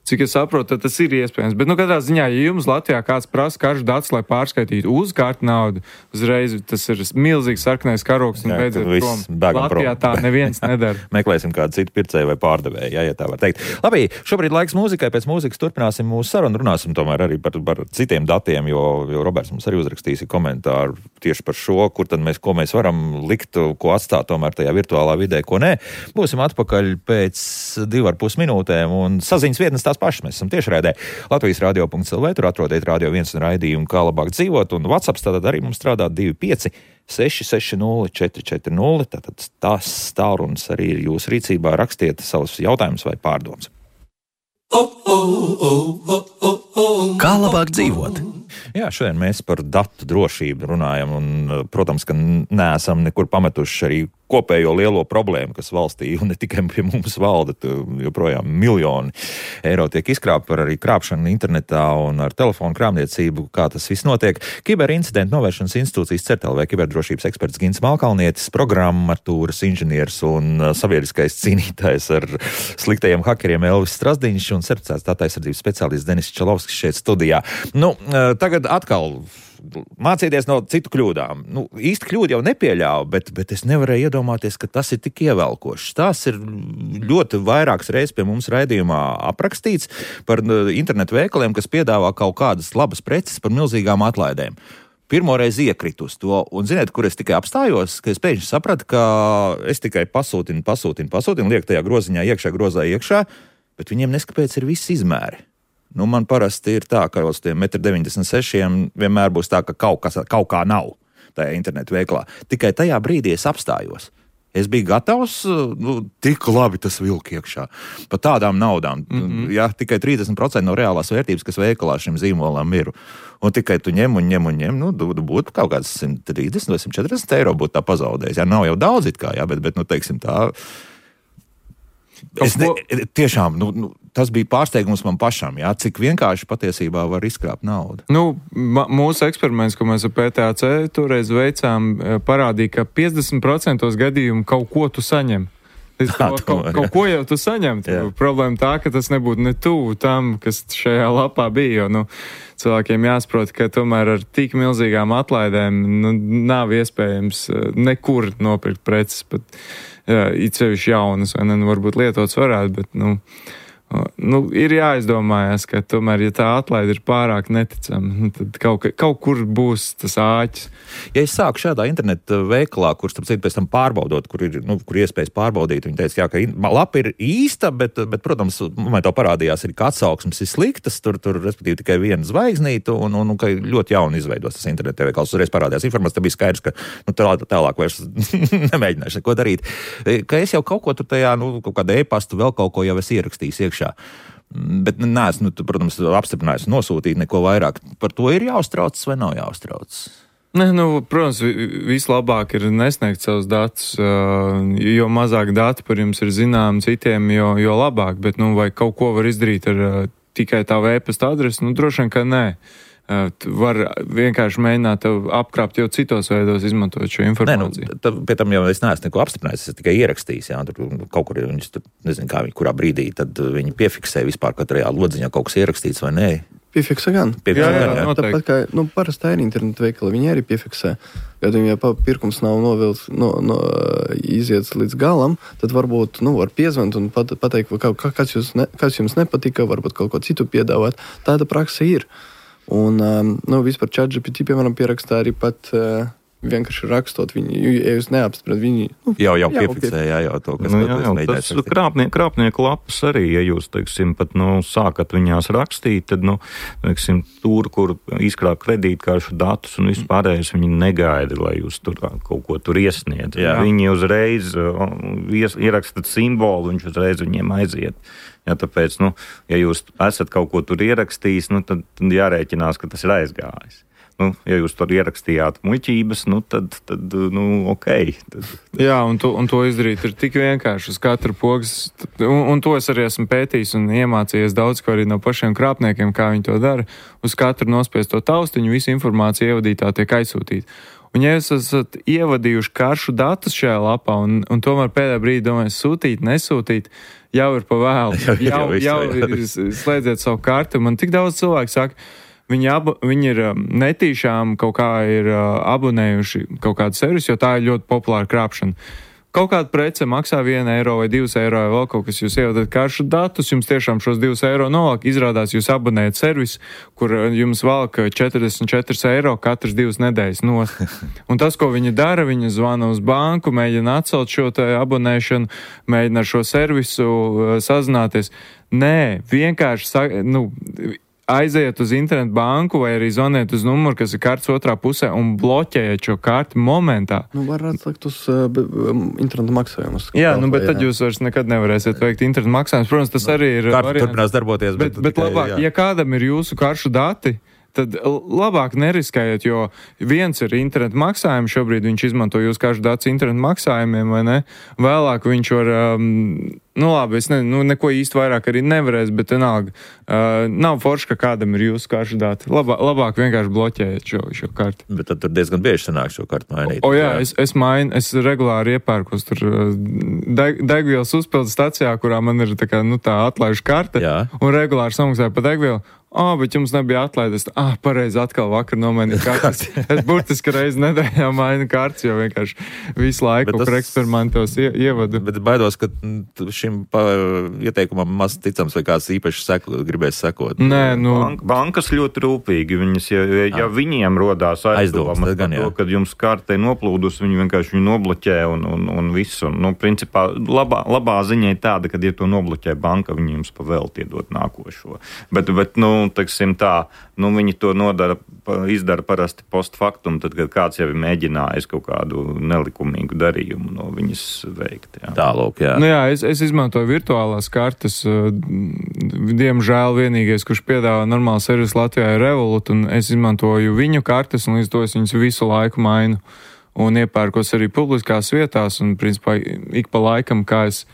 cik es saprotu, tad tas ir iespējams. Bet, nu, katrā ziņā, ja jums Latvijā kāds prasa karšu datus, lai pārskaitītu uz kartu naudu, uzreiz tas ir milzīgs sarkanais karoks un beidziet prom. Latvijā tā neviens nedara. Meklēsim kādu citu pircēju vai pārdevēju, jā, ja tā var teikt. Labi, šobrīd laiks mūzikai, pēc mūzikas turpināsim mūsu sarunu, runāsim tomēr arī par, par citiem datiem, jo, jo Roberts mums arī uzrakstīs komentāru tieši par šo, kur tad mēs, ko mēs varam likt, ko atstāt tomēr tajā virtuālā vidē, ko nē. Būsim atpakaļ pēc divu ar pus minūtēm un saziņas vietnes tās pašas. Mēs esam tiešraidē Latvijas radio punkts el vē, tur atrodiet Radio viens un raidījumu Kā labāk dzīvot, un WhatsApp tātad arī mums strādā divi pieci seši seši nulle četri četri nulle, tātad tās tālrunis arī ir jūsu rīcībā, rakstiet savus jautājumus vai pārdomas. Kā labāk dzīvot? Jā, šodien mēs par datu drošību runājam, un, protams, ka neesam nekur pametuši arī kopējo lielo problēmu, kas valstī, un ne tikai pie mums valda, joprojām miljoni eiro tiek izkrāpti par arī krāpšanu internetā un ar telefonu krāpniecību, kā tas viss notiek. Kiberincidentu novēršanas institūcijas CERTEL vai kiberdrošības eksperts Gins Malkalnietis, programmatūras inženieris un sabiedriskais cīnītājs ar sliktajiem hakeriem Elvis Strasdiņš un certificēts datu aizsardzības speciālists Denis Čalovskis šeit studijā. Nu, tagad atkal mācīties no citu kļūdām. Nu, īsti kļūdu jau nepieļāvu, bet, bet es nevarēju iedomāties, ka tas ir tik ievelkošs. Tas ir ļoti vairākas reizes pie mums raidījumā aprakstīts par internetu veikaliem, kas piedāvā kaut kādas labas preces par milzīgām atlaidēm. Pirmoreiz iekritu uz to, un ziniet, kur es tikai apstājos, ka es pēkšņi sapratu, ka es tikai pasūtinu, pasūtinu, pasūtinu, liek tajā groziņā iekšā, grozā iekšā, bet viņiem neskapēc ir viss izmēri. Nu, man parasti ir tā, ka uz tiem metru deviņdesmit sešiem vienmēr būs tā, ka kaut, kas, kaut kā nav tajā internetu veiklā. Tikai tajā brīdī es apstājos. Es biju gatavs, nu, tik labi tas vilk iekšā. Par tādām naudām. Mm-hmm. Ja, tikai trīsdesmit procenti no reālās vērtības, kas veikalā šim zīmolam ir. Un tikai tu ņem un ņem un ņem, nu, būtu kaut kāds simt trīsdesmit vai simt četrdesmit eiro būtu tā pazaudējis. Ja, nav jau daudz it kā, ja, bet, bet, nu, teiksim tā... Es ne, tiešām, nu, nu, tas bija pārsteigums man pašam, jā, cik vienkārši patiesībā var izkrāpt naudu. Nu, ma, mūsu eksperiments, ko mēs ar P T A C toreiz veicām, parādīja, ka piecdesmit procenti gadījumu kaut ko tu saņem. Es, tā, kaut, kaut, kaut ko jau tu saņem. Problēma tā, ka tas nebūtu ne tuvu tam, kas šajā lapā bija, jo, nu, cilvēkiem jāsaprot, ka tomēr ar tik milzīgām atlaidēm, nu, nav iespējams nekur nopirkt preces, pat, jā, it sevišķi jaunas, vai ne, nu, varbūt lietots varētu, bet, nu, Nu, ir jāizdomājas, ka tomēr, ja tā atlaide ir pārāk neticama, tad kaut, kaut kur būs tas āķis. Ja es sāku šādā interneta veikalā, kur, starp citu, pēc tam pārbaudot, kur ir, nu, kur iespējas pārbaudīt, viņi teica, jā, ka lapa ir īsta, bet, bet protams, man to parādījās, ir, ka atsauksmes ir sliktas, tur, tur respektīvi tikai viena zvaigznīta, un, un, un ka ļoti jauni izveidos tas interneta veikals. Uzreiz parādījās informācija, tad bija skaidrs, ka nu, tā, tālāk vairs nemēģināšu neko darīt. Ka es jau kaut ko tur tajā, nu, kaut kādu e-pastu, vēl kaut ko jau es ierakstījis iekšā. Bet neesmu, nu, protams, apstiprinājis nosūtīt neko vairāk. Par to ir jāuztraucas vai nav jāuztraucas? Ne, nu, protams, vislabāk ir nesniegt savus datus, jo mazāk dati par jums ir zinām citiem, jo, jo labāk, bet, nu, vai kaut ko var izdarīt ar tikai tā e-pasta adresi, nu, droši vien, ka nē. Var vienkārši mēģināt apkrāpt jau citos veidos, izmantot šo informāciju. Nē, nu, pie tam jau es neesmu neko apstiprinājis, es tikai ierakstījis, jā, tur kaut kur viņus, tur, nezinu, kā viņi, kurā brīdī, tad viņi piefiksē vispār katrajā lodziņā kaut kas ierakstīts vai nē. Piefiksē gan. Piefiksē jā, jā, gan, jā. Tāpat kā, nu, parastā ir internetu veikala, viņi arī piefiksē. Ja viņiem pirkums nav novilts, no, no, iziets līdz galam, tad varbūt, nu, var piezvanīt un pat, pateikt, ka, kas, jūs ne, kas jums nepatika, varbūt kaut ko citu piedāvāt. Tāda praksa ir. Un, um, nu, vispār ChatGPT, piemēram, pierakstā arī pat uh, vienkārši rakstot viņi, ja jūs neapstiprināt viņi... Nu, jau, jau piefiksē, jā, jau to, kas... Nu, jā, jau, tas krāpnie, krāpnieku lapas arī, ja jūs, teiksim, pat, nu, sākat viņās rakstīt, tad, nu, teiksim, tur, kur izkrāk kredītkāršu datus un vispārējais, viņi negaida, lai jūs tur kaut ko tur iesniedz. Jā. Viņi uzreiz uh, ies, ierakstat simbolu, viņš uzreiz viņiem aiziet. Ja, tāpēc, nu, ja jūs esat kaut ko tur ierakstījis, nu, tad, tad jārēķinās, ka tas ir aizgājis. Nu, ja jūs tur ierakstījāt muļķības, nu, tad, tad nu, ok. Tad, tad... Jā, un to, un to izdarīt ir tik vienkārši uz katru pogas, un, un to es arī esmu pētījis un iemācījies daudz, ko arī no pašiem krāpniekiem, kā viņi to dara. Uz katru nospiesto taustiņu visu informāciju ievadītā tiek aizsūtīta. Un ja jūs esat ievadījuši karšu datus šajā lapā un, un tomēr pēdējā brīdī domājat sūtīt, nesūtīt, jau ir pa vēlu. Jau, jau, jau, jau slēdziet savu karti. Man tik daudz cilvēku saka, viņi, abu, viņi ir netīšām kaut kā ir abonējuši kaut kādu servisu, jo tā ir ļoti populāra krāpšana. Kaut kāda prece maksā vienu eiro vai divus eiro vai vēl kaut kas, jūs ievadat karšu datus, jums tiešām šos divus eiro novāk, izrādās jūs abonējat servisu, kur jums valk četrdesmit četri eiro katras divas nedēļas nost. Un tas, ko viņi dara, viņi zvana uz banku, mēģina atcelt šo te abonēšanu, mēģina ar šo servisu sazināties. Nē, vienkārši, nu, aiziet uz internetu banku vai arī zvaniet uz numuru, kas ir kartes otrā pusē un bloķējiet šo karti momentā. Nu, var atlikt uz uh, internetu maksājumus. Jā, nu, bet jā. Tad jūs vairs nekad nevarēsiet veikt internetu maksājumus. Protams, tas arī ir... Karta turpinās darboties, bet... Bet, bet tikai, labāk, jā. Ja kādam ir jūsu karšu dati, tad labāk neriskējiet, jo viens ir internetu maksājumi, šobrīd viņš izmanto jūs karšu datus internetu maksājumiem, vai ne? Vēlāk viņš var... Um, Nu labi, es ne, nu, neko īsti vairāk arī nevarēs, bet vienalga, uh, nav forši, ka kādam ir jūsu karšu dati. Labā, labāk vienkārši bloķējiet šo, šo karti. Bet tad tur diezgan bieži sanāk šo kartu mainīt. O, o jā, jā. Es, es mainu, es regulāri iepērkos tur deg, degvielas uzpildes stacijā, kurā man ir tā kā, nu tā atlaižu karte, jā. Un regulāri samaksāju pa degvielu. Ah, oh, bet jums nebija atlaides. Ah, pareizi atkal vakar nomainīju kartes. Es burtiski reizi nedēļā mainu kartes, jo vienkārši visu laiku kaut kur eksperimentos ie, ievadu. Bet baidos, ka šim pa, ieteikumam maz ticams vai kāds īpaši seko, gribēs sekot. Nē, nu... Bank, bankas ļoti rūpīgi. Viņas, ja, ja viņiem rodās aizdomas par to, kad jums kartē noplūdus, viņi vienkārši viņu nobloķē un, un, un visu. Un, nu, principā, labā, labā ziņa ir tāda, kad, ja to nobloķē banka, viņi jums pavēlti iedot nākošo. Bet, bet nu, teiksim tā, nu, viņi to nodara, izdara parasti post factum, tad, kad kāds jau ir mēģinājis kaut kādu nelikumīgu darījumu no viņas veikt. Jā. Tālūk, jā. Nu jā, es, es izmantoju virtuālās kartes. Diemžēl vienīgais, kurš piedāvā normālu servisu Latvijā ir Revolut, un es izmantoju viņu kartes, un līdz to es viņus visu laiku mainu. Un iepērkos arī publiskās vietās, un, principā, ik pa laikam, kā es,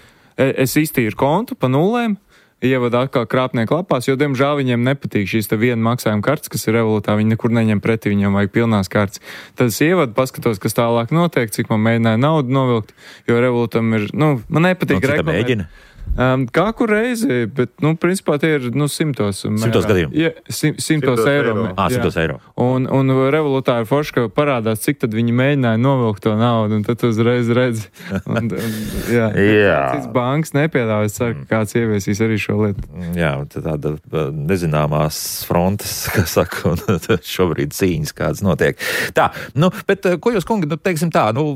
es iztīru kontu pa nulēm, ievada atkal krāpnieku lapās, jo, diemžēl, viņiem nepatīk šīs te viena maksājuma kartes, kas ir Revolutā, viņi nekur neņem pretī, viņiem vajag pilnās kartes. Tad es ievadu, paskatos, kas tālāk notiek, cik man mēģināja naudu novilkt, jo Revolutam ir, nu, man nepatīk reklamēt. Um, kā kur reizi, bet, nu, principā tie ir, nu, simtos. Simtos gadījumu? Ja, sim, simtos, simtos eiro. eiro. Ā, simtos eiro. Un, un revolūtāri forši, ka parādās, cik tad viņi mēģināja novilkt to naudu, un tad uzreiz redz. Un, un, jā, jā. Cits banks nepiedāvā, es ceru, ka kāds ieviesīs arī šo lietu. Jā, tāda nezināmās frontes, kā saka, un šobrīd cīņas kāds notiek. Tā, nu, bet, ko jūs, kungi, nu, teiksim tā, nu,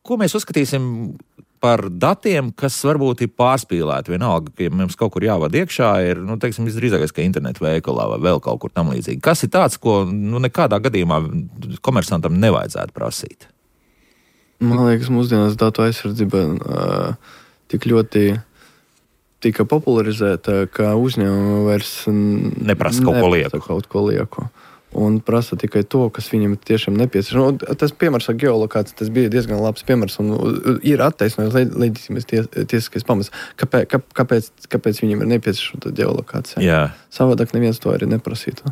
ko mēs uzskatīsim par datiem, kas varbūt ir pārspīlēti. Vienalga, ka ja mums kaut kur jāvada iekšā, ir, nu, teiksim, visdrīzākais, ka internetu veikalā vai vēl kaut kur tam līdzīgi. Kas ir tāds, ko, nu, nekādā gadījumā komersantam nevajadzētu prasīt? Man liekas, mūsdienās datu aizsardzība uh, tik ļoti tika popularizēta, ka uzņēmumi vairs neprasa kaut ko lieku. Kaut ko lieku. Un prasa tikai to, kas viņam tiešām nepieciešams. Nu, tas piemērs ar geolokāciju, tas bija diezgan labs piemērs un ir attaisnojums leģitīmais ties, tiesiskais pamats. Kāpēc, kā, kāpēc, kāpēc viņam ir nepieciešama tā geolokācija? Jā. Savādāk neviens to arī neprasītu.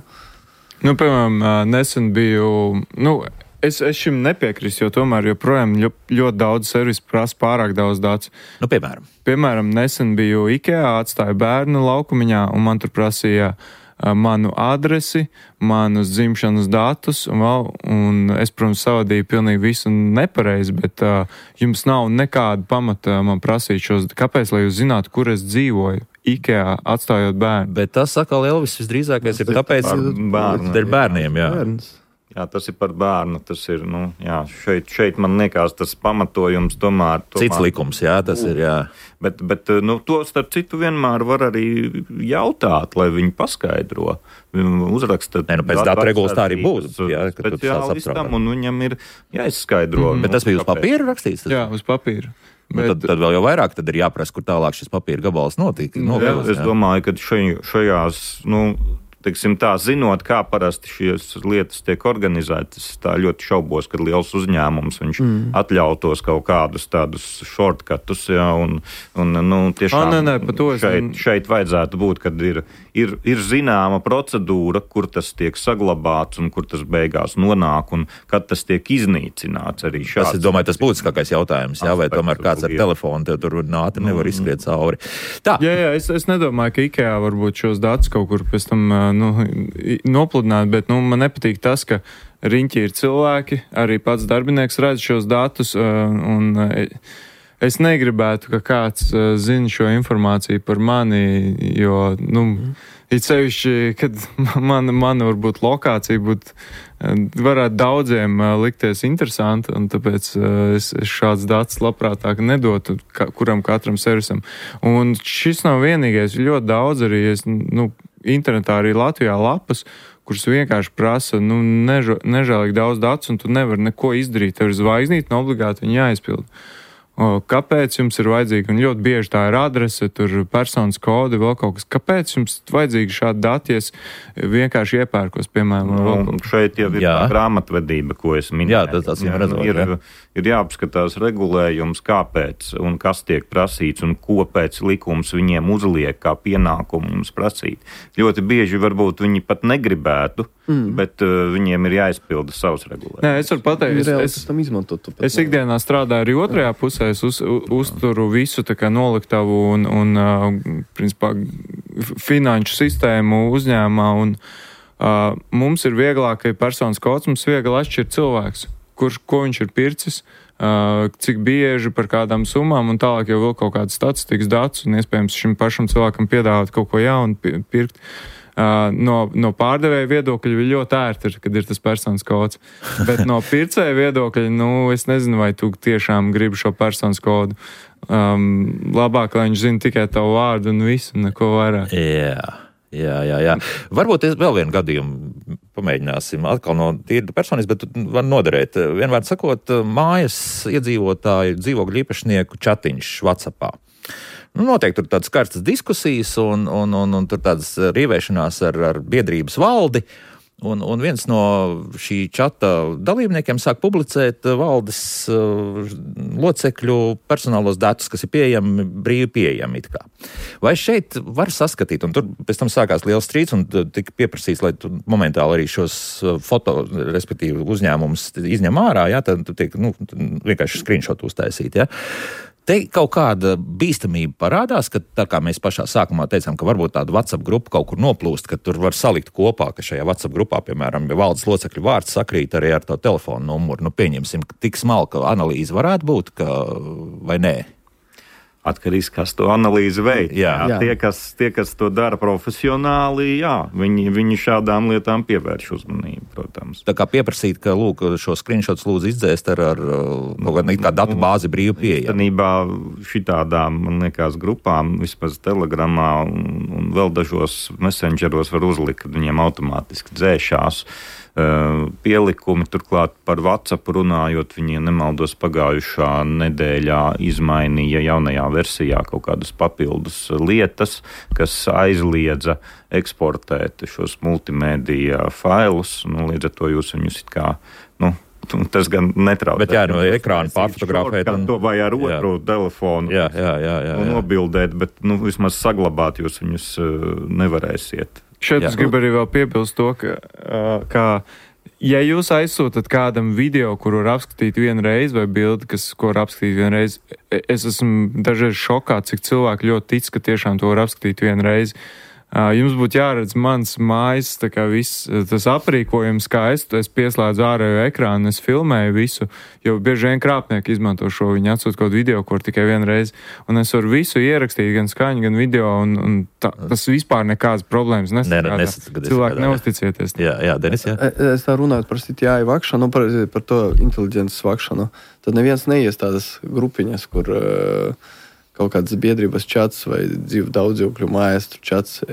Nu, piemēram, nesen biju, nu, es, es šim nepiekrīstu, jo tomēr joprojām ļoti, ļoti daudz servisu prasa pārāk daudz datus. Nu, piemēram. Piemēram, nesen biju IKEA, atstāju bērnu laukumiņā un man tur prasīja manu adresi, manus dzimšanas datus, un, vēl, un es, protams, savadīju pilnīgi visu nepareizi, bet uh, jums nav nekāda pamata man prasīt šos, kāpēc, lai jūs zinātu, kur es dzīvoju, IKEA, atstājot bērnu. Bet tas, atkal, Elvis, visdrīzākais ir tāpēc, bērnu, dēļ bērniem, jā. Bērns. Jā, tas ir par bērnu. Tas ir, nu, jā, šeit, šeit man liekas, tas pamatojums tomēr. tomēr Cits likums, jā, tas ir, jā. Bet, bet nu, to, starp citu, vienmēr var arī jautāt, lai viņi paskaidro. Uzrakstat. Nē, nu, pēc datu regulas tā arī būs. Jā, speciālistam, un viņam ir jāizskaidro. Mm, bet tas bija uz papīra rakstīts? Jā, uz papīra. Bet, tad, tad vēl jau vairāk tad ir jāprasa, kur tālāk šis papīra gabals notika. Jā, es jā. domāju, ka šaj, šajās, nu, teiksim tā, zinot, kā parasti šīs lietas tiek organizētas, tā ļoti šaubos, kad liels uzņēmums, viņš mm. atļautos kaut kādus tādus shortcutus, jā, un, un, nu, tiešām ah, nē, nē, šeit, šeit vajadzētu būt, kad ir, ir, ir zināma procedūra, kur tas tiek saglabāts un kur tas beigās nonāk, un kad tas tiek iznīcināts arī šāds. Tas, es domāju, tas būtiskākais jautājums, jā, vai tomēr kāds ar telefonu tev tur nātri nevar mm. izskriet cauri. Tā. Jā, jā, es, es nedomāju, ka IKEA varbūt šos datus kaut kur pēc tam nu, nopludināt, bet nu, man nepatīk tas, ka riņķi ir cilvēki, arī pats darbinieks redz šos datus, un es negribētu, ka kāds zina šo informāciju par mani, jo, nu, it sevišķi, kad man, man varbūt lokācija būtu, varētu daudziem likties interesanti, un tāpēc es, es šāds datus labprātāk nedotu ka, kuram katram servisam. Un šis nav vienīgais, ļoti daudz arī, es, nu, internetā arī Latvijā lapas, kuras vienkārši prasa, nu, neža, nežēlīgi daudz datus, un tu nevari neko izdarīt. Tev ir zvaigznīt, un obligāti viņi jāizpild. O, kāpēc jums ir vajadzīgi, un ļoti bieži tā ir adrese, tur personas kodi, vēl kaut kas. Kāpēc jums vajadzīgi šādi dati, ja es vienkārši iepērkos, piemēram? Nu, šeit jau ir jā. tā grāmatvedība, ko es minēju. Jā, tas, tas jā, redzot, ir, jā. ir jāapskatās regulējums, kāpēc un kas tiek prasīts, un ko pēc likums viņiem uzliek kā pienākumu mums prasīt. Ļoti bieži varbūt viņi pat negribētu, mm. bet uh, viņiem ir jāizpilda savs regulējums. Nē, es varu pateikt, es, es, es, es ikdienā strādāju arī otrajā pusē. Es uz, uzturu visu tā kā noliktavu un, un uh, principā, finanšu sistēmu uzņēmumā, un uh, mums ir vieglāk, ka personas kods mums viegli atšķirt cilvēks, kurš, ko viņš ir pircis, uh, cik bieži par kādām summām, un tālāk jau vēl kaut kādas statistikas datus, un iespējams šim pašam cilvēkam piedāvāt kaut ko jaunu pirkt. Uh, no, no pārdevēja viedokļa ir ļoti ērti, kad ir tas personas kods. Bet no pircēja viedokļa, nu, es nezinu, vai tu tiešām gribi šo personas kodu. Um, labāk, lai viņš zina tikai tavu vārdu un visu, un neko vairāk. Jā, jā, jā. jā. Varbūt es vēl vienu gadījumu pamēģināsim atkal no tīra personas, bet var noderēt. Vienmēr sakot, mājas iedzīvotāju dzīvokļu īpašnieku čatiņš WhatsAppā. Nu, noteikti tur tādas karstas diskusijas un, un, un, un tur tādas rīvēšanās ar, ar biedrības valdi. Un, un viens no šī čata dalībniekiem sāk publicēt valdes uh, locekļu personālos datus, kas ir pieejami, brīvi pieejami it kā. Vai šeit var saskatīt, un tur pēc tam sākās liels strīds un tika pieprasīts, lai tu momentāli arī šos foto, respektīvi uzņēmumus izņem ārā, jā, tad tu tiek, nu, vienkārši screenshot uztaisīt, jā. Te kaut kāda bīstamība parādās, ka tā kā mēs pašā sākumā teicām, ka varbūt tāda WhatsApp grupa kaut kur noplūst, ka tur var salikt kopā, ka šajā WhatsApp grupā, piemēram, ja valdes locekļu vārds sakrīt arī ar to telefonu numuru. Nu, pieņemsim, ka tik smalka analīze varētu būt, ka, vai nē? Atkarīgs, kas to analīzi veic. Jā. Jā. Tie, kas, tie, kas to dara profesionāli, jā, viņi, viņi šādām lietām pievērš uzmanību, protams. Tā kā pieprasīt, ka, lūk, šo screenshots lūdzu izdzēst ar, ar no, kā datu bāzi brīvi pieejama. Īstenībā šitādām, man liekas, grupām, vismaz Telegramā un, un vēl dažos messengeros var uzlikt, kad viņiem automātiski dzēšās Uh, pielikumi. Turklāt par WhatsApp runājot, viņi, nemaldos, pagājušā nedēļā izmainīja jaunajā versijā kaut kādas papildus lietas, kas aizliedza eksportēt šos multimēdija failus. Nu, līdz ar to jūs viņus it kā, nu, tas gan netrauc. Bet jā, no ekrāna pārfotografēt. Un... To vai ar otru jā. telefonu jā, jā, jā, jā, jā. nobildēt, bet, nu, vismaz saglabāt jūs viņus uh, nevarēsiet. Šeit Jā. Es gribu arī vēl piebilst to, ka, ka ja jūs aizsūtat kādam video, kuru var apskatīt vienu reizi, vai bildi, kas, ko var apskatīt vienu reizi, es esmu dažreiz šokā, cik cilvēki ļoti tic, ka tiešām to var apskatīt vienu reizi. Jums būtu jāredz mans mājas, tā kā viss tas aprīkojums, kā es, es pieslēdzu ārējo ekrānu, es filmēju visu, jo bieži vien krāpnieki izmanto šo, viņi atsūt kaut video, kur tikai vienreiz, un es varu visu ierakstīt, gan skaņu, gan video, un, un tā, tas vispār nekādas problēmas nesakādā. Cilvēki neusticieties. Jā, jā, Denis, jā. Es tā runāju par C T I vakšanu, par, par to inteliģences vakšanu, tad neviens neies tādas grupiņas, kur... Uh, kaut kādas biedrības čats vai dzīv daudzdzīvokļu mājas čats,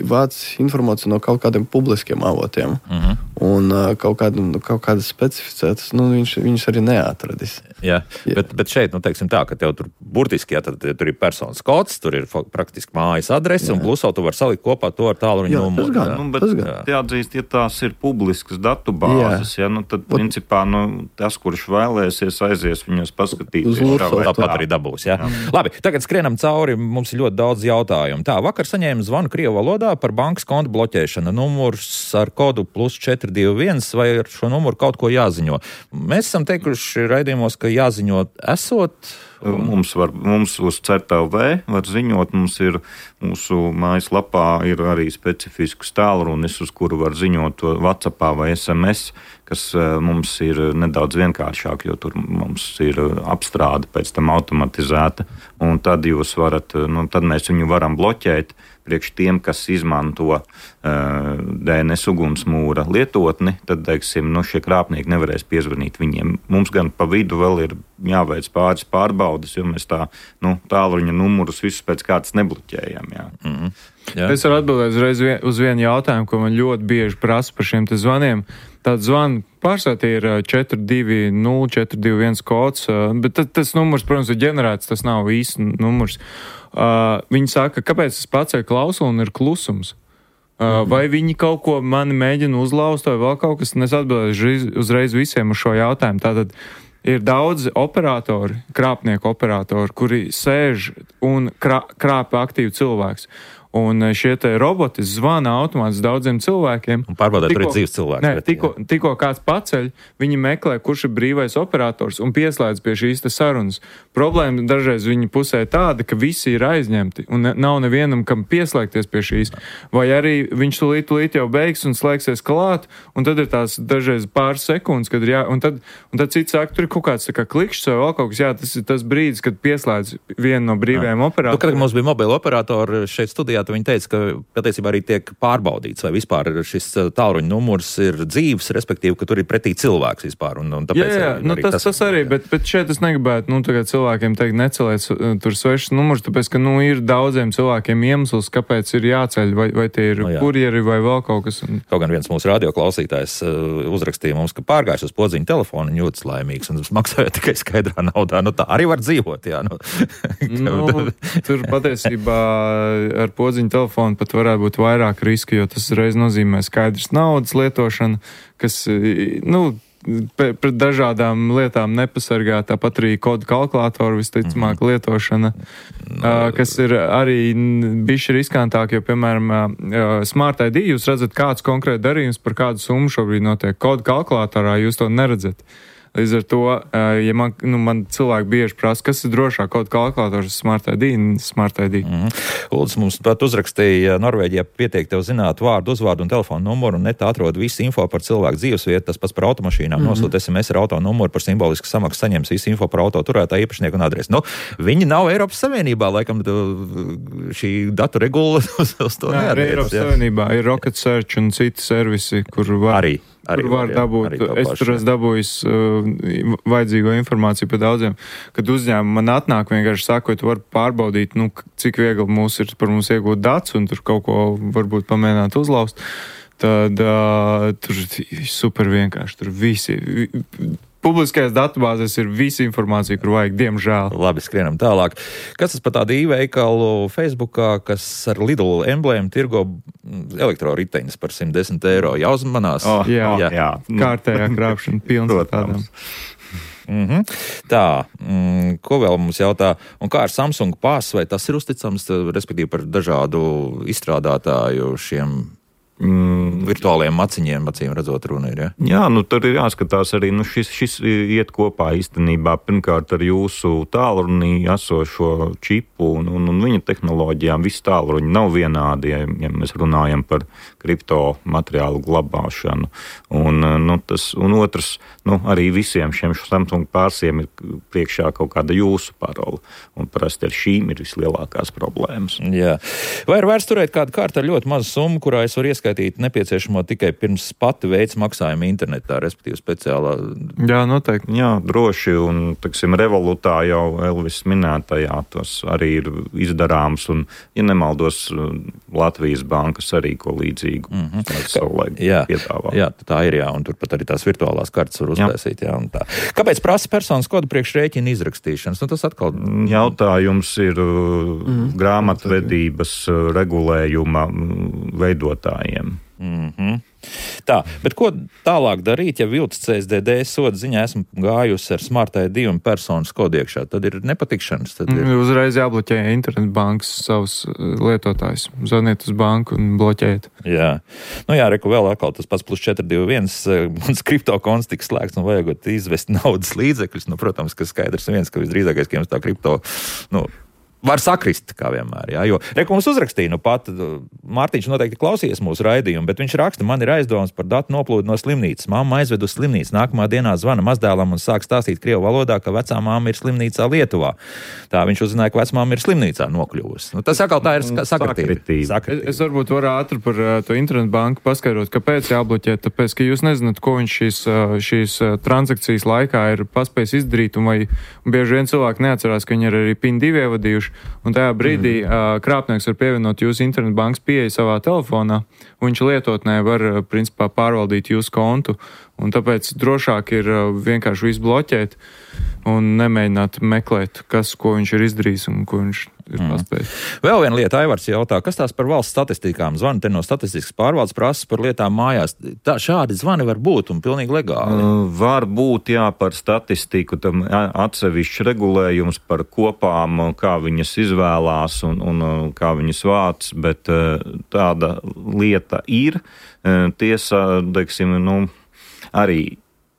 vāc informāciju no kaut kādiem publiskiem avotiem. Uh-huh. Un kaut, kādu, kaut kādas specificētas, nu, viņš, viņš arī neatradis. Jā, jā. Bet, bet šeit, nu, teiksim tā, ka tev tur burtiski, jā, tad tur ir personas kods, tur ir praktiski mājas adrese, jā. Un plus vēl tu var salikt kopā to ar tālruņa numuru. Jā, nu, bet jāatzīst, ja tās ir publiskas datu bāzes, jā. Ja, nu, tad, principā, nu, tas, kurš vēlēsies, aizies viņos paskatīt. Tāpat arī dabūs, jā. jā. Labi, tagad skrienam cauri, mums ir ļoti daudz jautājumu. Tā, vakar saņēmu zvanu krievu valodā par bankas kontu bloķēšanu. Numurs ar kodu plus četri divi viens, vai ar šo numuru kaut ko jāziņo. Mēs esam teikuši raidījumos, ka jāziņo esot. Mums, var, mums uz C E T L V var ziņot, mums ir mūsu mājaslapā ir arī specifisks tālrunis, uz kuru var ziņot WhatsAppā vai S M S, kas mums ir nedaudz vienkāršāk, jo tur mums ir apstrāde pēc tam automatizēta, un tad jūs varat, nu, tad mēs viņu varam bloķēt priekš tiem, kas izmanto uh, D N S ugunsmūra lietotni, tad, teiksim, nu, šie krāpnieki nevarēs piezvanīt viņiem. Mums gan pa vidu vēl ir jāveic pāris pārbaudes, jo mēs tā, nu, tālruņa numurus visus pēc kārtas nebloķējam. Jā. Mm-hmm. Jā. Es varu atbildēt uzreiz vien, uz vienu jautājumu, ko man ļoti bieži prasa par šiem te zvaniem. Tāds zvanu pārsvarā ir četri divi nulle četri divi viens kods, bet tas, tas numurs, protams, ir ģenerēts, tas nav īsts numurs. Uh, viņi saka, kāpēc es paceļu klausuli un ir klusums? Uh, mm-hmm. Vai viņi kaut ko mani mēģina uzlauzt vai vēl kaut kas, un es atbildēšu uzreiz visiem uz šo jautājumu. Tātad ir daudzi operatori, krāpnieku operatori, kuri sēž un krā, krāpa aktīvu cilvēks. Un šie te roboti zvana automātiski daudziem cilvēkiem. Un pārbaudēt arī dzīves cilvēks. Nē, tikko, tikko kāds paceļ, viņi meklē, kurš ir brīvais operators un pieslēdz pie šīs te sarunas. Problēma dažreiz viņa pusē tāda, ka visi ir aizņemti un nav nevienam, kam pieslēgties pie šīs. Vai arī viņš tūlīt, tūlīt jau beigs un slēgsies klāt, un tad ir tās dažreiz pāris sekundes, kad ir jā, un tad, un tad cits saka, tur ir kaut kāds tā kā klikšķis vai vēl kaut kas, jā, tas ir tas brīdis, kad pieslēdz vienu no brīvajiem operatoriem. Nu, kad mums bija mobila operatori šeit studijā, viņi teica, ka patiesībā arī tiek pārbaudīts, vai vispār šis tālruņa numurs ir dzīves, respektīvi, ka tur ir pretī cilvēks vispār. Un, un tāpēc jā, jā, arī, nu, tas, tas, tas arī, bet, bet šeit es negribētu, nu, tagad cilvēkiem teikt, neceliet tur svešas numurs, tāpēc, ka, nu, ir daudziem cilvēkiem iemesls, kāpēc ir jāceļ, vai, vai tie ir no, kurjeri vai vēl kaut kas. Un... Kaut gan viens mūsu radioklausītājs uh, uzrakstīja mums, ka pārgājis uz podziņu telefonu un jūtas laimīgs, un maksājot tikai skaidrā naudā. Nu, tā arī var dzīvot, jā. Nu. nu, tur patiesībā ar podziņu telefonu pat varētu būt vairāk riski, jo tas reiz nozīmē skaidrs naudas lietošana, kas, nu, pret dažādām lietām nepasargā, tāpat arī kodu kalkulātoru visticamāk mm-hmm. lietošana, no, kas ir arī bišķi riskantāk, jo, piemēram, Smart I D, jūs redzat kāds konkrēti darījums par kādu summu šobrīd notiek. Kodu kalkulātorā jūs to neredzat. Līdz ar to, ja man, nu, man cilvēki bieži prasa, kas ir drošāk, kaut kalkulators, Smart I D, Smart I D. Mm-hmm. Uldis mums pat uzrakstīja, Norvēģijā pietiek tev zināt vārdu, uzvārdu un telefonu numuru, un netā atrod visu info par cilvēku dzīvesvietu, tas pats par automašīnām, mm-hmm. nosūt S M S ar auto numuru, par simbolisku samaksu saņems visu info par auto turētāju īpašnieku un adresi. Nu, viņi nav Eiropas Savienībā, laikam šī datu regula uz, uz to neattiecas. Jā, Eiropas ja? Savienībā ir Rocket Search un citi servisi, kur var... Arī. Arī Kur var jā, dabūt, es tur esmu dabūjis uh, vajadzīgo informāciju par daudziem, kad uzņēmumi man atnāk vienkārši saka, tu vari pārbaudīt, nu, cik viegli mūs ir par mums iegūt datus un tur kaut ko varbūt pamēģināt uzlaust, tad uh, tur super vienkārši, tur visi... Publiskajās datubāzēs ir visa informācija, kur vajag, diemžēl. Labi, skrienam tālāk. Kas tas par tādu e-veikalu Facebookā, kas ar Lidl emblēmu tirgo elektroriteņas par simt desmit eiro? Jāuzmanās. Oh, jā, jā. jā. Kārtējā krāpšana pilns ar tādām. Mm-hmm. Tā, mm, ko vēl mums jautā? Un kā ar Samsung Pass, vai tas ir uzticams, respektīvi par dažādu izstrādātāju šiem Mm, virtuāliem maciņiem, acīm redzot, runa ir, ja? Jā, nu tur ir jāskatās arī, nu šis, šis iet kopā īstenībā pirmkārt ar jūsu tālrunī esošo čipu un, un, un viņa tehnoloģijām. Visi tālruņi nav vienādi, ja, ja mēs runājam par kripto materiālu glabāšanu. Un, nu, tas, un otrs, nu, arī visiem šiem Samsung pārsiem ir priekšā kaut kāda jūsu parola. Un parasti ar šīm ir vislielākās problēmas. Jā. Vai ir vērts turēt kādu kārtu ar ļoti mazu summu, kurā es varu ieskaitīt nepieciešamo tikai pirms pati veids maksājumu internetā, respektīvi speciālā? Jā, noteikti. Jā, droši, un, taksim, Revolutā jau Elvis minētajā tas arī ir izdarāms, un, ja nemaldos, Latvijas bankas arī ko līdzīgu mm-hmm. savulaik piedāvā. Jā, tā ir, jā, un turpat arī tās virtuālās kartas var uztaisīt, jā, un tā. Kāpēc prasa personas kodu priekš rēķina izrakstīšanas? Nu, tas atkal... Jautājums ir mm. grāmatvedības regulējuma veidotājiem. Mm-hmm. Tā, bet ko tālāk darīt, ja vilts C S D D soda ziņā esmu gājusi ar Smart I D un personas kodu iekšā? Tad ir nepatikšanas. Tad ir... Uzreiz jābloķē internetbankas savus lietotājus. Zvaniet uz banku un bloķēt. Jā. Nu jā, reku vēl atkal tas pats plus četri divi viens, un kriptokonts tiks slēgts un vajagot izvest naudas līdzekļus. Nu, protams, ka skaidrs viens, ka visdrīzākais, ka jums tā kripto, nu, var sakrist, kā vienmēr, jā, jo reku mums uzrakstīja, nu pat Mārtiņš noteikti klausījies mūsu raidījumu, bet viņš raksta, man ir aizdomas par datu noplūdu no slimnīcas. Mamma aizved uz slimnīcu, nākamā dienā zvana mazdēlam un sāk stāstīt krievu valodā, ka vecā mamma ir slimnīcā Lietuvā. Tā viņš uzzināja, ka vecā mamma ir slimnīcā nokļuvusi. Nu, tas atkal tā ir sakritība. Es, es varbūt varu ātri par uh, to internetbanku paskaidrot, kāpēc jābloķē, tāpēc, ka jūs nezināt, ko viņš šīs, uh, šīs uh, transakcijas laikā ir paspējis izdarīt, un vai un bieži vien cilvēki neatcerās, ka viņi ir arī PIN divi ievadījuši. Un tajā brīdī mm. uh, krāpnieks var pievienot jūsu internetbankas pieeju savā telefonā, un viņš lietotnē var, uh, principā, pārvaldīt jūsu kontu. Un tāpēc drošāk ir uh, vienkārši visu bloķēt un nemēģināt meklēt, kas, ko viņš ir izdarījis un ko viņš ir mm. paspējis. Vēl viena lieta, Aivars jautā, kas tās par valsts statistikām? Zvani te no statistikas pārvaldes prasas par lietām mājās. Tā, šādi zvani var būt un pilnīgi legāli. Uh, var būt, jā, par statistiku, tam atsevišķs regulējums par kopām, kā viņas izvēlās un, un kā viņas vāc, bet uh, tāda lieta ir. Uh, tiesa, teiksim, nu, arī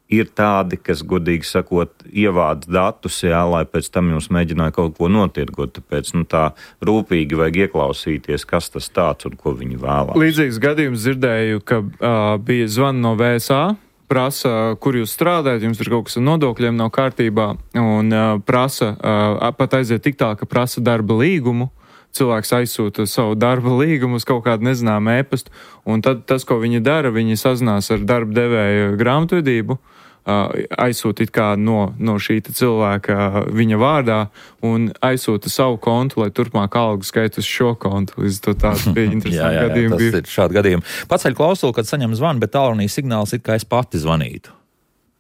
ir tādi, kas, godīgi sakot, ievāc datus, jā, lai pēc tam jums mēģināja kaut ko notirgot. Tāpēc nu, tā rūpīgi vajag ieklausīties, kas tas tāds un ko viņi vēlās. Līdzīgs gadījums dzirdēju, ka uh, bija zvana no V S A, prasa, kur jūs strādājat, jums ir kaut kas ar nodokļiem nav kārtībā, un uh, prasa, uh, pat aiziet tik tā, ka prasa darba līgumu. Cilvēks aizsūta savu darba līgumu uz kaut kādu nezināmu ēpastu, un tad tas, ko viņi dara, viņi sazinās ar darba devēju grāmatvedību, aizsūtīt kā no, no šī cilvēka viņa vārdā un aizsūta savu kontu, lai turpmāk algu skaitu uz šo kontu. Līdz to tāds bija interesanti gadījumi. Tas ir šādi gadījumi. Paceļ klausuli, kad saņem zvanu, bet tālrunī signāls ir, kā es pati zvanītu.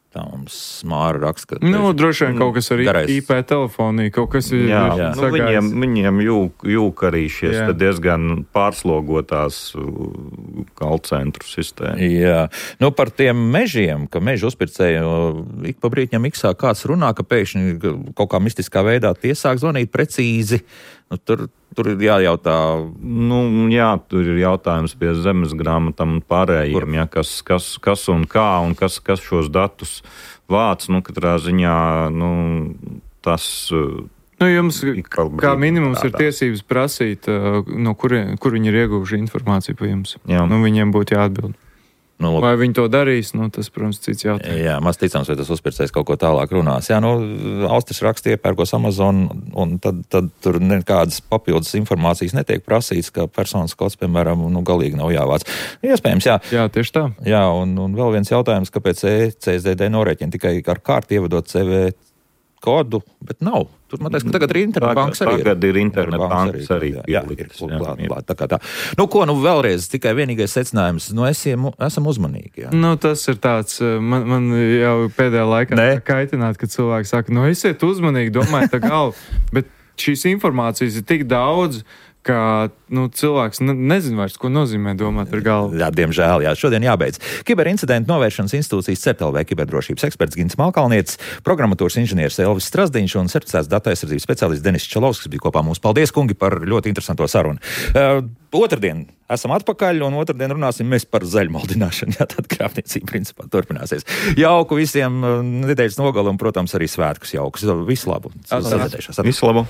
Tā mums Māra raksta, ka... Nu, droši vien kaut kas ar garais. I P telefonī, kaut kas ir jā, jā. Nu, viņiem, viņiem jūk, jūk arī šies diezgan pārslogotās call centru sistēmu. Jā. Nu, par tiem mežiem, ka mežu uzpircēju ik pa brītņam iksā kāds runā, ka pēkšņi kaut kā mistiskā veidā tie sāk zvanīt precīzi. Nu, tur tur ir jājautā. Nu, jā, tur ir jautājums pie zemes grāmatām un pārējiem, ja, kas, kas, kas un kā un kas, kas šos datus vāc. Nu, katrā ziņā nu, tas. Nu, jums kā minimums ir tiesības prasīt, no kur, kur viņi ir ieguvuši informāciju par jums. Jā. Nu, viņiem būtu jāatbild. Nu, vai viņi to darīs, nu, tas, protams, cits jautājums. Jā, maz ticams, vai tas uzpircējs kaut ko tālāk runās. Jā, nu, Austris raksta iepērkos Amazon, un tad, tad tur nekādas papildus informācijas netiek prasīts, ka personas kods, piemēram, nu, galīgi nav jāvāc. Iespējams, jā. Jā, tieši tā. Jā, un, un vēl viens jautājums, kāpēc C S D D norēķina tikai ar kārtu ievedot C V kodu, bet nav. Tur, man teiks, ka tagad ir internetbankas arī. Tagad ir internetbankas arī. Jā, ir klāt, klāt, tā kā tā. Nu, ko, nu, vēlreiz, tikai vienīgais secinājums, nu, esam, esam uzmanīgi. Jā. Nu, tas ir tāds, man, man jau pēdējā laikā ne? kaitināt, kad cilvēki saka, nu, esiet uzmanīgi, domājiet tā galvu, bet šīs informācijas ir tik daudz, ka nu, cilvēks ne, nezin vairs, ko nozīmē domāt ar galvu. Jā, diemžēl, jā. Šodien jābeidz. Kiberincidentu novēršanas institūcijas C E P T L V kiberdrošības eksperts Gins Malkalnietis, programmatūras inženieris Elvis Strasdiņš un certificēts datu aizsardzības speciālists Denis Čalovskis, kas bija kopā mums. Paldies, kungi, par ļoti interesanto sarunu. Uh, otrdien esam atpakaļ, un otrdien runāsim mēs par zaļmaldināšanu. Jā, tad krāpniecība principā turpināsies. Jauku visiem nedēļas nogalu un, protams, arī svētkus jaukus. Visu labu. Visu labu.